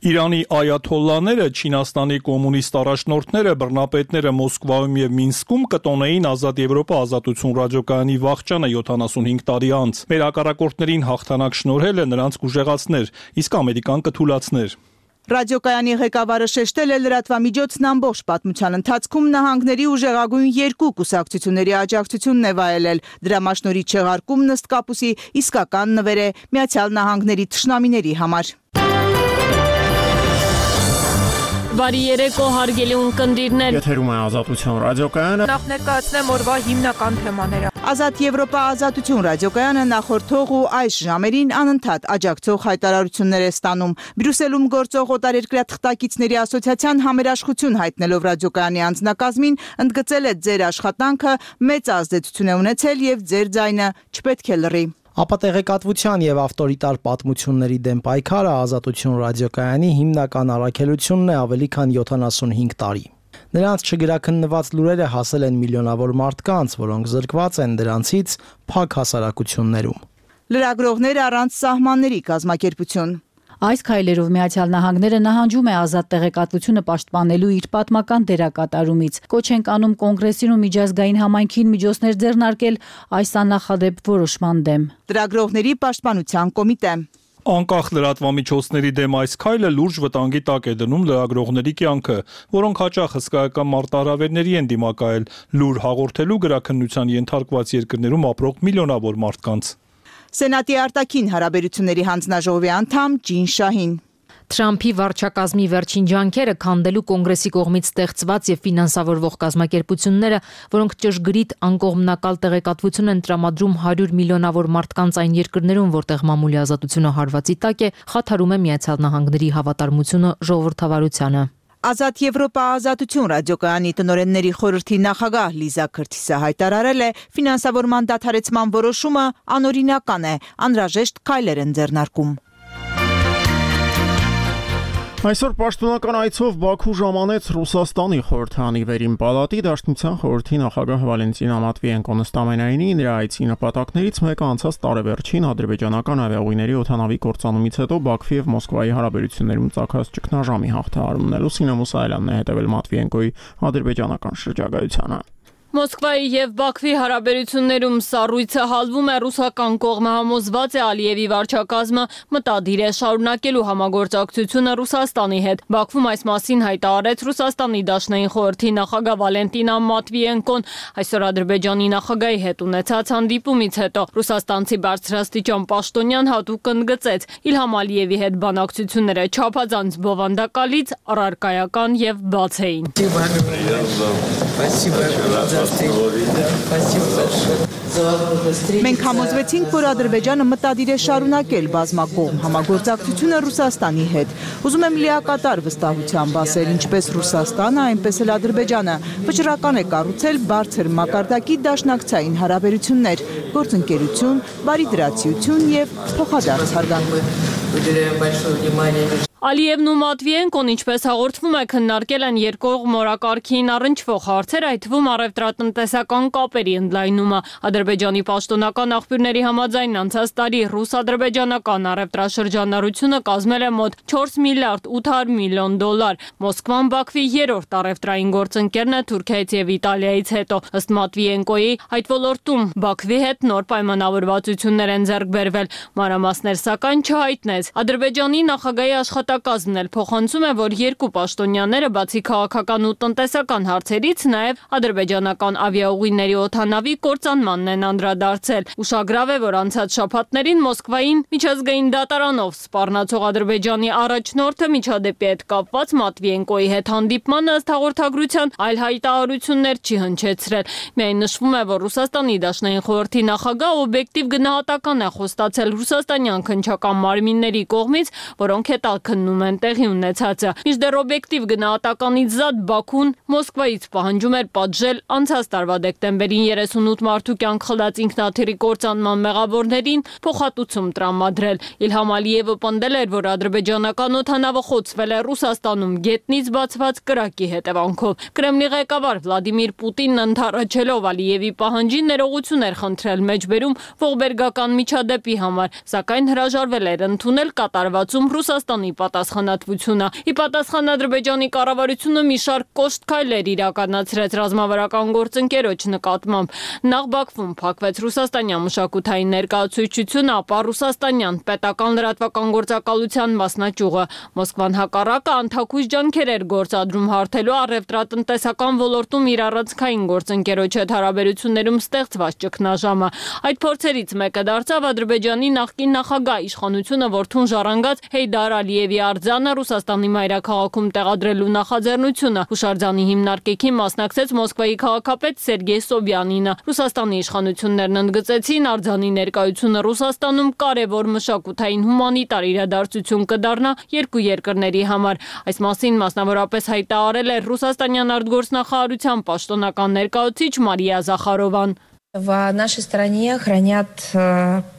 Իրանի այաթոլլաները, Չինաստանի կոմունիստ առաջնորդները, բռնապետները Մոսկվայում եւ Մինսկում կտոնեին Ազատ Եվրոպա Ազատություն ռադիոկայանի վախճանը 75 տարի անց։ Մեր հակառակորդներին հաղթանակ շնորհելը նրանց կուժեղացներ, իսկ Ամերիկան կթուլացներ։ Ռադիոկայանի ղեկավարը շեշտել է լրատվամիջոցն ամբողջ պատմության ընթացքում նահանգների ուժեղագույն երկու կուսակցությունների աջակցությունն է վայելել։ Դրամաշնորհի չեղարկումն ըստ Կապուսի իսկական նվեր է Միացյալ Նահանգների թշնամիների համար։ Բարի երեկո հարգելի ունկնդիրներ։ Եթերում է Ազատություն ռադիոկայանը։ Նախ ներկայացնեմ օրվա հիմնական թեմաները։ Ազատ Եվրոպա Ազատություն ռադիոկայանը նախորդող ու այս ժամերին անընդհատ աջակցող հայտարարություններ է ստանում։ Բրյուսելում գործող օտարերկրյա թղթակիցների ասոցիացիան համերաշխություն հայտնելով ռադիոկայանի անձնակազմին ընդգծել է ձեր աշխատանքը մեծ ազդեցություն է ունեցել եւ ձեր ձայնը չպետք է լռի։ Ապատեղեկատվության եւ ավտորիտար պատմությունների դեմ պայքարը Ազատություն ռադիոկայանի հիմնական առաքելությունն է ավելի քան 75 տարի։ Նրանց չգրաքննված լուրերը հասել են միլիոնավոր մարդկանց, որոնք զրկված են դրանցից փակ հասարակություններում։ Լրագրողներ առանց սահմանների կազմակերպություն։ Այս քայլերով Միացյալ Նահանգները նահանջում է ազատ տեղեկատվությունը պաշտպանելու իր պատմական դերակատարումից։ Կոչ ենք անում կոնգրեսին ու միջազգային համայնքին միջոցներ ձեռնարկել այս աննախադեպ որոշման դեմ։ Լրագրողների պաշտպանության կոմիտե։ Անկախ լրատվամիջոցների դեմ այս քայլը լուրջ վտանգի տակ է դնում լրագրողների կյանքը, որոնք հաճախ հսկայական մարտահրավերների են դիմակայել լուր հաղորդելու գրաքննության ենթարկված երկրներում ապրող միլիոնավոր մարդկանց։ Սենատի արտաքին հարաբերությունների հանձնաժողովի անդամ Ջին Շահին։ Թրամփի վարչակազմի վերջին ջանքերը քանդելու կոնգրեսի կողմից ստեղծված եւ ֆինանսավորվող կազմակերպությունները, որոնք ճշգրիտ անկողմնակալ տեղեկատվություն են տրամադրում 100 միլիոնավոր մարդկանց այն երկրներում, որտեղ մամուլի ազատությունը հարվածի տակ է, խաթարում է Միացյալ Նահանգների հավատարմությունը ժողովրդավարությանը։ Ազատ Եվրոպա Ազատություն ռադիոկայանի տնօրենների խորհրդի նախագահ Լիզա Քրթիսը հայտարարել է, ֆինանսավորման դադարեցման որոշումը անօրինական է, անհրաժեշտ քայլեր են ձեռնարկում։ Այսօր պաշտոնական այցով Բաքու ժամանեց Ռուսաստանի խորհրդարանի վերին պալատի Դաշնության խորհրդի նախագահ Վալենտինա Մատվիենկոն, ըստ ամենայնի նրա այցի նպատակներից մեկը անցած տարեվերջին ադրբեջանական ավիաուղիների օդանավի կործանումից հետո Բաքվի եւ Մոսկվայի հարաբերություններում ծագած ճգնաժամի հաղթահարումն է։ Լուսինե Մուսայելյանն է հետևել Մատվիենկոյի ադրբեջանական շրջագայությանը։ Մոսկվայի եւ Բաքվի հարաբերություններում սառույցը հալվում է, ռուսական կողմը համոզված է Ալիևի վարչակազմը մտադիր է շարունակելու համագործակցությունը Ռուսաստանի հետ։ Բաքվում այս մասին հայտարարեց Ռուսաստանի Դաշնային խորհրդի նախագահ Վալենտինա Մատվիենկոն այսօր Ադրբեջանի նախագահի հետ ունեցած հանդիպումից հետո ռուսաստանցի բարձրաստիճան պաշտոնյան հատուկ ընդգծեց Իլհամ Ալիևի հետ բանակցությունները չափազանց բովանդակալից, առարկայական եւ բաց էին։ Մենք համոզվեցինք, որ Ադրբեջանը մտադիր է շարունակել բազմակողմ համագործակցությունը Ռուսաստանի հետ։ Ուզում եմ լիակատար վստահությամբ ասել, ինչպես Ռուսաստանը, այնպես էլ Ադրբեջանը վճռական է կառուցել բարձր մակարդակի դաշնակցային հարաբերություններ, գործընկերություն, բարիդրացիություն եւ փոխադարձ հարգանք։ Ալիևն ու Մատվիենկոն, ինչպես հաղորդվում է, քննարկել են երկկողմ օրակարգին առնչվող հարցեր, այդ թվում առևտրատնտեսական կապերի ընդլայնումը։ Ադրբեջանի պաշտոնական աղբյուրների համաձայն անցած տարի ռուս-ադրբեջանական առևտրաշրջանառությունը կազմել է մոտ 4 միլիարդ 800 միլիոն դոլար։ Մոսկվան Բաքվի երրորդ առևտրային գործընկերն է Թուրքիայից եւ Իտալիայից հետո։ Ըստ Մատվիենկոյի, այդ ոլորտում Բաքվի հետ նոր պայմանավորվածություններ են ձեռք բերվել։ Մանրամասներ սակայն չհայտնեց։ Ադրբեջանի նախագահի աշխատակազմն էլ փոխանցում է, որ երկու պաշտոնյաները բացի քաղաքական ու տնտեսական հարցերից նաև ադրբեջանական ավիաուղիների օդանավի կործանմանն են անդրադարձել։ Ուշագրավ է, որ անցած շաբաթներին Մոսկվային միջազգային դատարանով սպառնացող Ադրբեջանի առաջնորդը միջադեպի հետ կապված Մատվիենկոյի հետ հանդիպմանը ըստ հաղորդագրության այլ հայտարարություններ չի հնչեցրել։ Միայն նշվում է, որ Ռուսաստանի Դաշնային խորհրդի նախագահ օբյեկտիվ գնահատական է խոստացել ռուսաստանյան քննչական մարմինների կողմից, որոնք հետաքննում են տեղի ունեցածը։ Մինչդեռ օբյեկտիվ գնահատականից զատ Բաքուն Մոսկվայից պահանջում էր պատժել անցած տարվա դեկտեմբերին 38 մարդու կյանք խլած ինքնաթիռի կործանման մեղավորներին փոխհատուցում տրամադրել։ Իլհամ Ալիևը պնդել էր, որ ադրբեջանական օդանավը խոցվել է Ռուսաստանում գետնից բացված կրակի հետևանքով։ Կրեմլի ղեկավար Վլադիմիր Պուտինն ընդառաջելով Ալիևի պահանջին ներողություն էր խնդրել մեջբերում ողբերգական միջադեպի համար, սակայն հրաժարվել էր ընդունել կատարվածում Ռուսաստանի պատասխանատվությունը։ Ի պատասխան Ադրբեջանի կառավարությունը մի շարք կոշտ քայլեր իրականացրեց ռազմավարական գործընկերոջ նկատմամբ։ Նախ Բաքվում փակվեց ռուսաստանյան մշակութային ներկայացուցչությունը, ապա ռուսաստանյան պետական լրատվական գործակալության մասնաճյուղը։ Մոսկվան հակառակը անթաքույց ջանքեր էր գործադրում հարթելու առևտրատնտեսական ոլորտում իր առանցքային գործընկերոջ հետ հարաբերություններում ստեղծված ճգնաժամը։ Այդ փորձերից մեկը դարձավ Ադրբեջանի նախկին նախագահ իշխանությունը որդուն ժառանգած Հեյդար Ալիևի արձանը Ռուսաստանի մայրաքաղաքում տեղադրելու նախաձեռնությունը։ Հուշարձանի հիմնարկեքին մասնակցեց Մոսկվայի քաղաքապետ Սերգեյ Սոբյանինը։ Ռուսաստանի իշխանություններն ընդգծեցին, արձանի ներկայությունը Ռուսաստանում կարևոր մշակութային հումանիտար իրադարձություն կդառնա երկու երկրների համար։ Այս մասին մասնավորապես հայտարարել է Ռուսաստանյան արտգործնախարարության պաշտոնական ներկայացուցիչ Մարիա Զախարովան։ В нашей стране хранят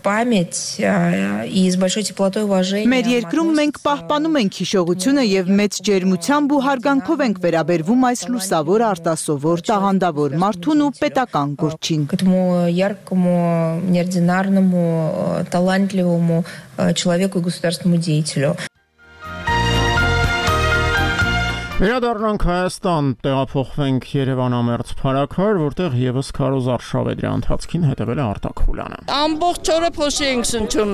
память и с большой теплотой и уважением. Մեր երկրում մենք պահպանում ենք հիշողությունը եւ մեծ ջերմությամբ ու հարգանքով ենք վերաբերվում այս լուսավոր արտասովոր տաղանդավոր մարդուն ու պետական գործին։ К этому яркому, неординарному, талантливому человеку и государственному деятелю. Վերադառնանք Հայաստան, տեղափոխվենք Երևանամերձ փառաքար, որտեղ եւս Քարոզ Արշավեդի ընթացքին հետևել է Արտակ Խուլյանը։ Ամբողջ օրը փոշի ենք շնչում։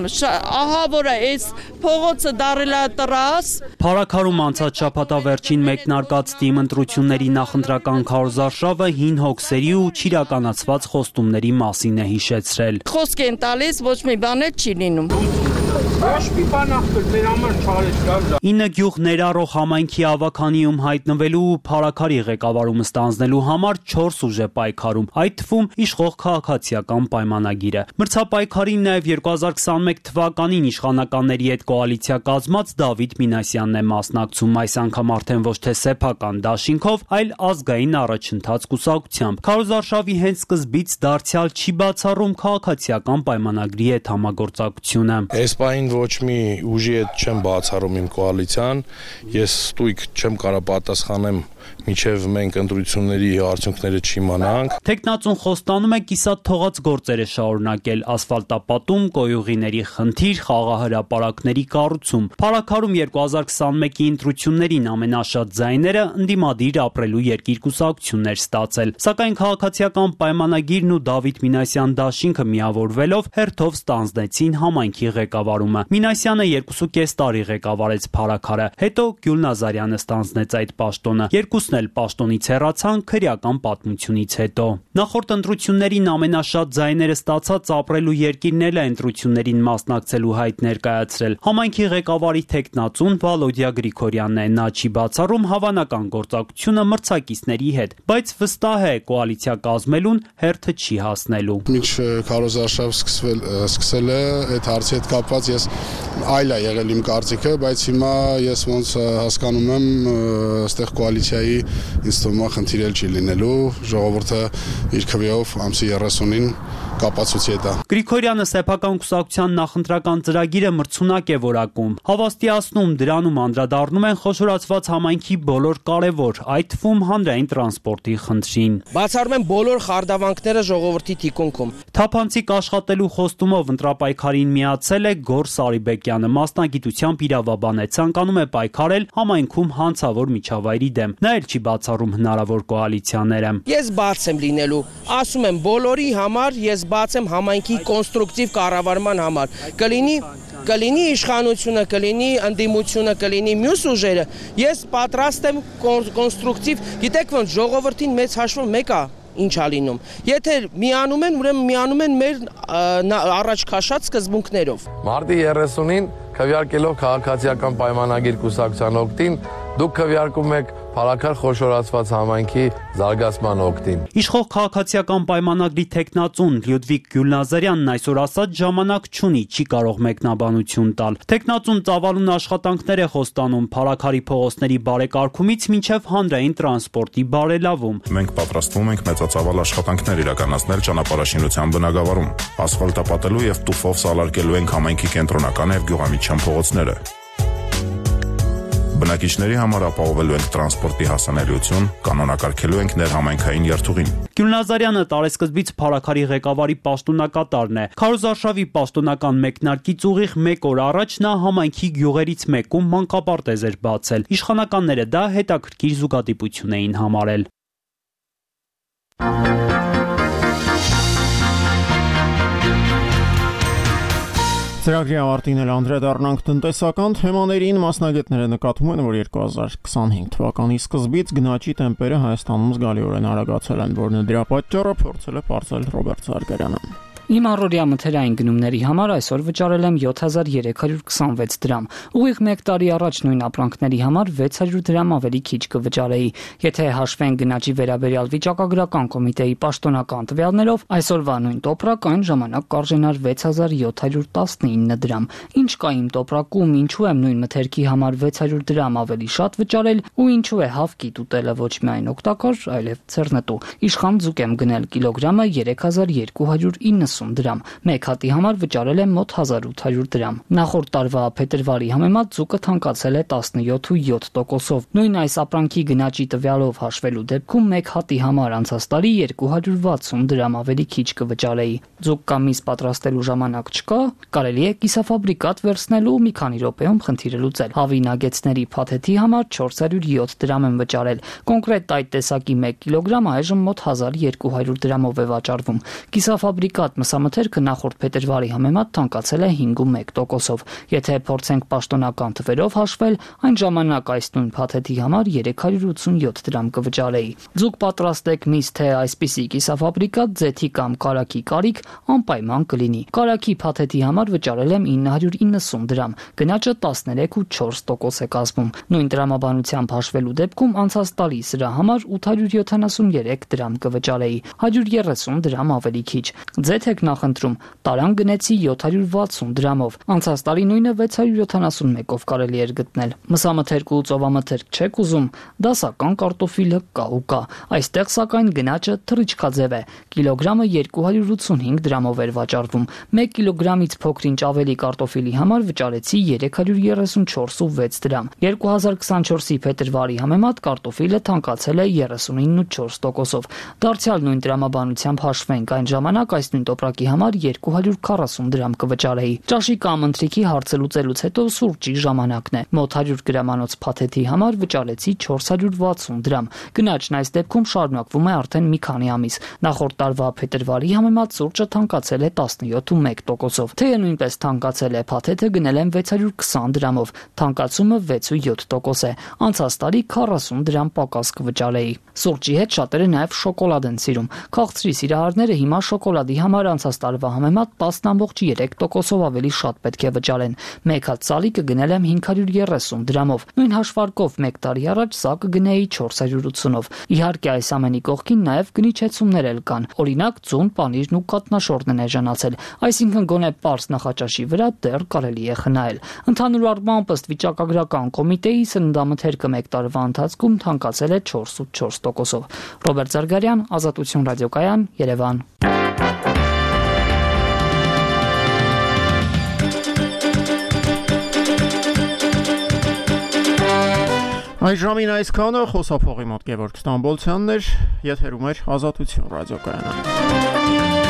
Ահա որ այս փողոցը դարել է տրաս։ Փառաքարում անցած շաբաթավերջին մեկնարկած թիմ ընտրությունների նախընտրական Քարոզ Արշավը հին հոգսերի ու չիրականացված խոստումների մասին է հիշեցրել։ Խոսք են տալիս, ոչ մի բան չի լինում։ Ոչ մի բան ախտել մեր համար չարեց։ 9 գյուղ ներառող համայնքի ավականիում հայտնվելու ու փառաքարի ղեկավարումը ստանձնելու համար 4 ուժ է պայքարում, այդ թվում իշխող քաղաքացիական պայմանագիրը։ Մրցապայքարին նաև 2021 թվականին իշխանականների հետ կոալիցիա կազմած Դավիթ Մինասյանն է մասնակցում, այս անգամ արդեն ոչ թե սեփական դաշինքով, այլ ազգային առաջընթաց կուսակցությամբ։ Քարոզ Արշավի հենց սկզբից դարձյալ չի բացառում քաղաքացիական պայմանագրի հետ համագործակցությունը։ Համառային ոչ մի ուժի հետ չեմ բացառում իմ կոալիցիան, ես ստույգ չեմ կարող պատասխանեմ միջև մենք ընտրությունների արդյունքները չիմանանք։ Տեխնացուն խոստանում է կիսատ թողած գործերը շարունակել, ասֆալտապատում, կոյուղիների խնդիր, խաղահրապարակների կառուցում։ Փառաքարում 2021-ի ընտրություններին ամենաշատ ձայները ընդդիմադիր ապրելու երկիր կուսակցություններ ստացել, սակայն քաղաքացիական պայմանագիրն ու Դավիթ Մինասյան դաշինքը միավորվելով հերթով ստանձնեցին համայնքի ղեկավարումը։ Մինասյանը 2.5 տարի ղեկավարեց փառաքարը, հետո Գյուլ Նազարյանը ստանձնեց այդ պաշտոնը։ Երկուսն էլ պաշտոնից հեռացան քրեական պատմությունից հետո։ Նախորդ ընտրություններին ամենաշատ ձայները ստացած ապրելու երկիրն էլ է ընտրություններին մասնակցելու հայտ ներկայացրել։ Համայնքի ղեկավարի տեխնացուն Վալոդիա Գրիգորյանն է, նա չի բացառում հավանական գործակցությունը մրցակիցների հետ, բայց վստահ է կոալիցիա կազմելուն հերթը չի հասնելու։ Մինչ քարոզարշավ սկսել է այդ հարցի հետ կապված ես այլ է եղել իմ կարծիքը, բայց հիմա ես ոնց հասկանում եմ, այստեղ կոալիցիայի ինձ թվում է խնդիր էլ չի լինելու, ժողովուրդը իր քվեով ամսի 30-ին կապացուցի դա։ Գրիգորյանը սեփական կուսակցության նախընտրական ծրագիրը մրցունակ է որակում, հավաստիացնում դրանում անդրադառնում են խոշորացված համայնքի բոլոր կարևոր, այդ թվում հանրային տրանսպորտի խնդրին։ Բացառում են բոլոր խարդավանքները ժողովրդի թիկունքում։ Թափանցիկ աշխատելու խոստումով ընտրապայքարին միացել է Գոր Սարիբեկյանը, մասնագիտությամբ իրավաբան է, ցանկանում է պայքարել համայնքում հանցավոր միջավայրի դեմ։ Նա էլ չի բացառում հնարավոր կոալիցիաները։ Ես բաց եմ լինելու, ասում եմ բոլորի համար, ես բաց եմ համայնքի կոնստրուկտիվ կառավարման համար։ Կլինի իշխանությունը, կլինի ընդդիմությունը, կլինի մյուս ուժերը։ Ես պատրաստ եմ կոնստրուկտիվ, գիտեք ոնց ժողովրդին մեծ հաշվով մեկ է ինչ ա լինում։ Եթե միանում են, ուրեմն միանում են մեր առաջ քաշած սկզբունքներով։ Մարտի 30-ին քվեարկելով քաղաքացիական պայմանագիր կուսակցության օգտին, դուք քվեարկում եք փառաքար խոշորացված համայնքի զարգացման օգտին։ Իշխող քաղաքացիական պայմանագրի տեխնացուն Լյուդվիգ Գյուլնազարյանն այսօր ասած ժամանակ չունի, չի կարող մեկնաբանություն տալ։ Տեխնացուն ծավալուն աշխատանքներ է խոստանում փառաքարի փողոցների բարեկարգումից մինչև հանրային տրանսպորտի բարելավում։ Մենք պատրաստվում ենք մեծածավալ աշխատանքներ իրականացնել ճանապարհաշինության բնագավառում, ասֆալտապատելու եւ տուֆով սալարկելու ենք համայնքի կենտրոնական եւ գյուղամիջյան փողոցները։ Բնակիչների համար ապահովելու ենք տրանսպորտի հասանելիություն, կանոնակարգելու ենք ներհամայնքային երթուղին։ Գյուլնազարյանը տարեսկզբից փառաքարի ղեկավարի պաշտոնակատարն է։ Քարոզարշավի պաշտոնական մեկնարկից ուղիղ 1 օր առաջ նա համայնքի գյուղերից մեկում մանկապարտեզ էր բացել։ Իշխանականները դա հետաքրքիր զուգադիպություն էին համարել։ Ծրագրի ավարտին էլ անդրադառնանք տնտեսական թեմաներին, մասնագետները նկատում են, որ 2025 թվականի սկզբից գնաճի տեմպերը Հայաստանում զգալիորեն արագացել են, որն դրա պատճառը փորձել է պարզել Ռոբերտ Զարգարյանը։ Իմ առօրյա մթերային գնումների համար այսօր վճարել եմ 7326 դրամ։ Ուղիղ 1 տարի առաջ նույն ապրանքների համար 600 դրամ ավելի քիչ կվճարեի։ Եթե հաշվեն գնաճի վերաբերյալ վիճակագրական կոմիտեի պաշտոնական տվյալներով, այսօրվա նույն տոպրակ այն ժամանակ կարժենար 6719 դրամ։ Ինչ կա իմ տոպրակում, ինչու եմ նույն մթերքի համար 600 դրամ ավելի շատ վճարել ու ինչու է հավկիտ ուտելը ոչ միայն օգտակար, այլև ցերնետու։ Իշխան ձուկ եմ գնել կիլոգրամը 3290 դրամ։ Մեկ հատի համար վճարել եմ մոտ 1800 դրամ։ Նախորդ տարվա փետրվարի համեմատ ձուկը թանկացել է 17.7%-ով։ Նույն այս ապրանքի գնաճի տվյալով հաշվելու դեպքում մեկ հատի համար անցած տարի 260 դրամ ավելի քիչ կվճարեի։ Ձուկ կամ միս պատրաստելու ժամանակ չկա, կարելի է կիսաֆաբրիկատ վերցնելու մի քանի րոպեում խնդիրը լուծել։ Հավի նագեցների փաթեթի համար 407 դրամ եմ վճարել։ Կոնկրետ այդ տեսակի 1 կիլոգրամ այժմ մոտ 1200 դրամով է վաճառվում։ Կիսաֆաբրիկատ մսամթերքը նախորդ փետրվարի համեմատ թանկացել է 5.1%-ով։ Եթե փորձենք պաշտոնական թվերով հաշվել, այն ժամանակ այս նույն փաթեթի համար 387 դրամ կվճարեի։ Ձուկ պատրաստեք միս թե այսպիսի կիսաֆաբրիկատ, ձեթի կամ կարագի կարիք անպայման կլինի։ Կարագի փաթեթի համար վճարել եմ 990 դրամ, գնաճը 13.4% է կազմում։ Նույն տրամաբանությամբ հաշվելու դեպքում անցած տարի սրա համար 873 դրամ կվճարեի, 130 դրամ ավելի քիչ։ Ձեթ եք նախընտրում։ Տարան գնեցի 760 դրամով։ Անցած տարի նույնը 671-ով կարելի էր գտնել։ Մսամթերք ու ծովամթերք չեք ուզում, դասական կարտոֆիլը կա ու կա։ Այստեղ սակայն գնաճը թռիչքաձև է։ Կիլոգրամը 285 դրամով էր վաճառվում։ 1 կիլոգրամից փոքրինչ ավելի կարտոֆիլի համար վճարեցի 334.6 դրամ։ 2024-ի փետրվարի համեմատ կարտոֆիլը թանկացել է 39.4%-ով։ Դարձյալ նույն դրամաբանությամբ հաշվենք, այն ժամանակ այս նույն տոպրակի համար 240 դրամ կվճարեի։ Ճաշի կամ ընթրիքի հարցը լուծելուց հետո սուրճի ժամանակն է։ Մոտ 100 գրամանոց փաթեթի համար վճարեցի 460 դրամ։ Գնաճն այս դեպքում շարունակվում է արդեն մի քանի ամիս։ Նախորդ տարվա փետրվարի համեմատ սուրճը թանկացել է 17.1%-ով։ Թեյը նույնպես թանկացել է, փաթեթը գնել եմ 620 դրամով, թանկացումը 6.7% է։ Անցած տարի 40 դրամ պակաս կվճարեի։ Սուրճի հետ շատերը նաև շոկոլադ են սիրում։ Քաղցրի սիրահարները հիմա շոկոլադի համար անցած տարվա համեմատ 10.3%-ով ավելի շատ պետք է վճարեն։ Մեկ հատ սալիկը գնել եմ 530 դրամով։ Նույն հաշվարկով 1 տարի առաջ սա կգնեի 480-ով։ Իհարկե այս ամենի կողքին նաև գնիչեցումներ էլ կան։ Օրինակ ձուն, պանիրն ու կատնաշորն են էժանացել, այսինքն գոնե պարզ նախաճաշի վրա դեռ կարելի է խնայել։ Ընդհանուր առմամբ ըստ վիճակագրական կոմիտեի սննդամթերքը 1 տարվա ընթացքում թանկացել է 4.4%-ով։ Ռոբերտ Զարգարյան, Ազատություն ռադիոկայան, Երևան։ Այս ժամին այսքանը խոսափողի մոտ Գևորգ Ստամբոլցյանն էր, եթերում էր Ազատություն ռադիոկայանը։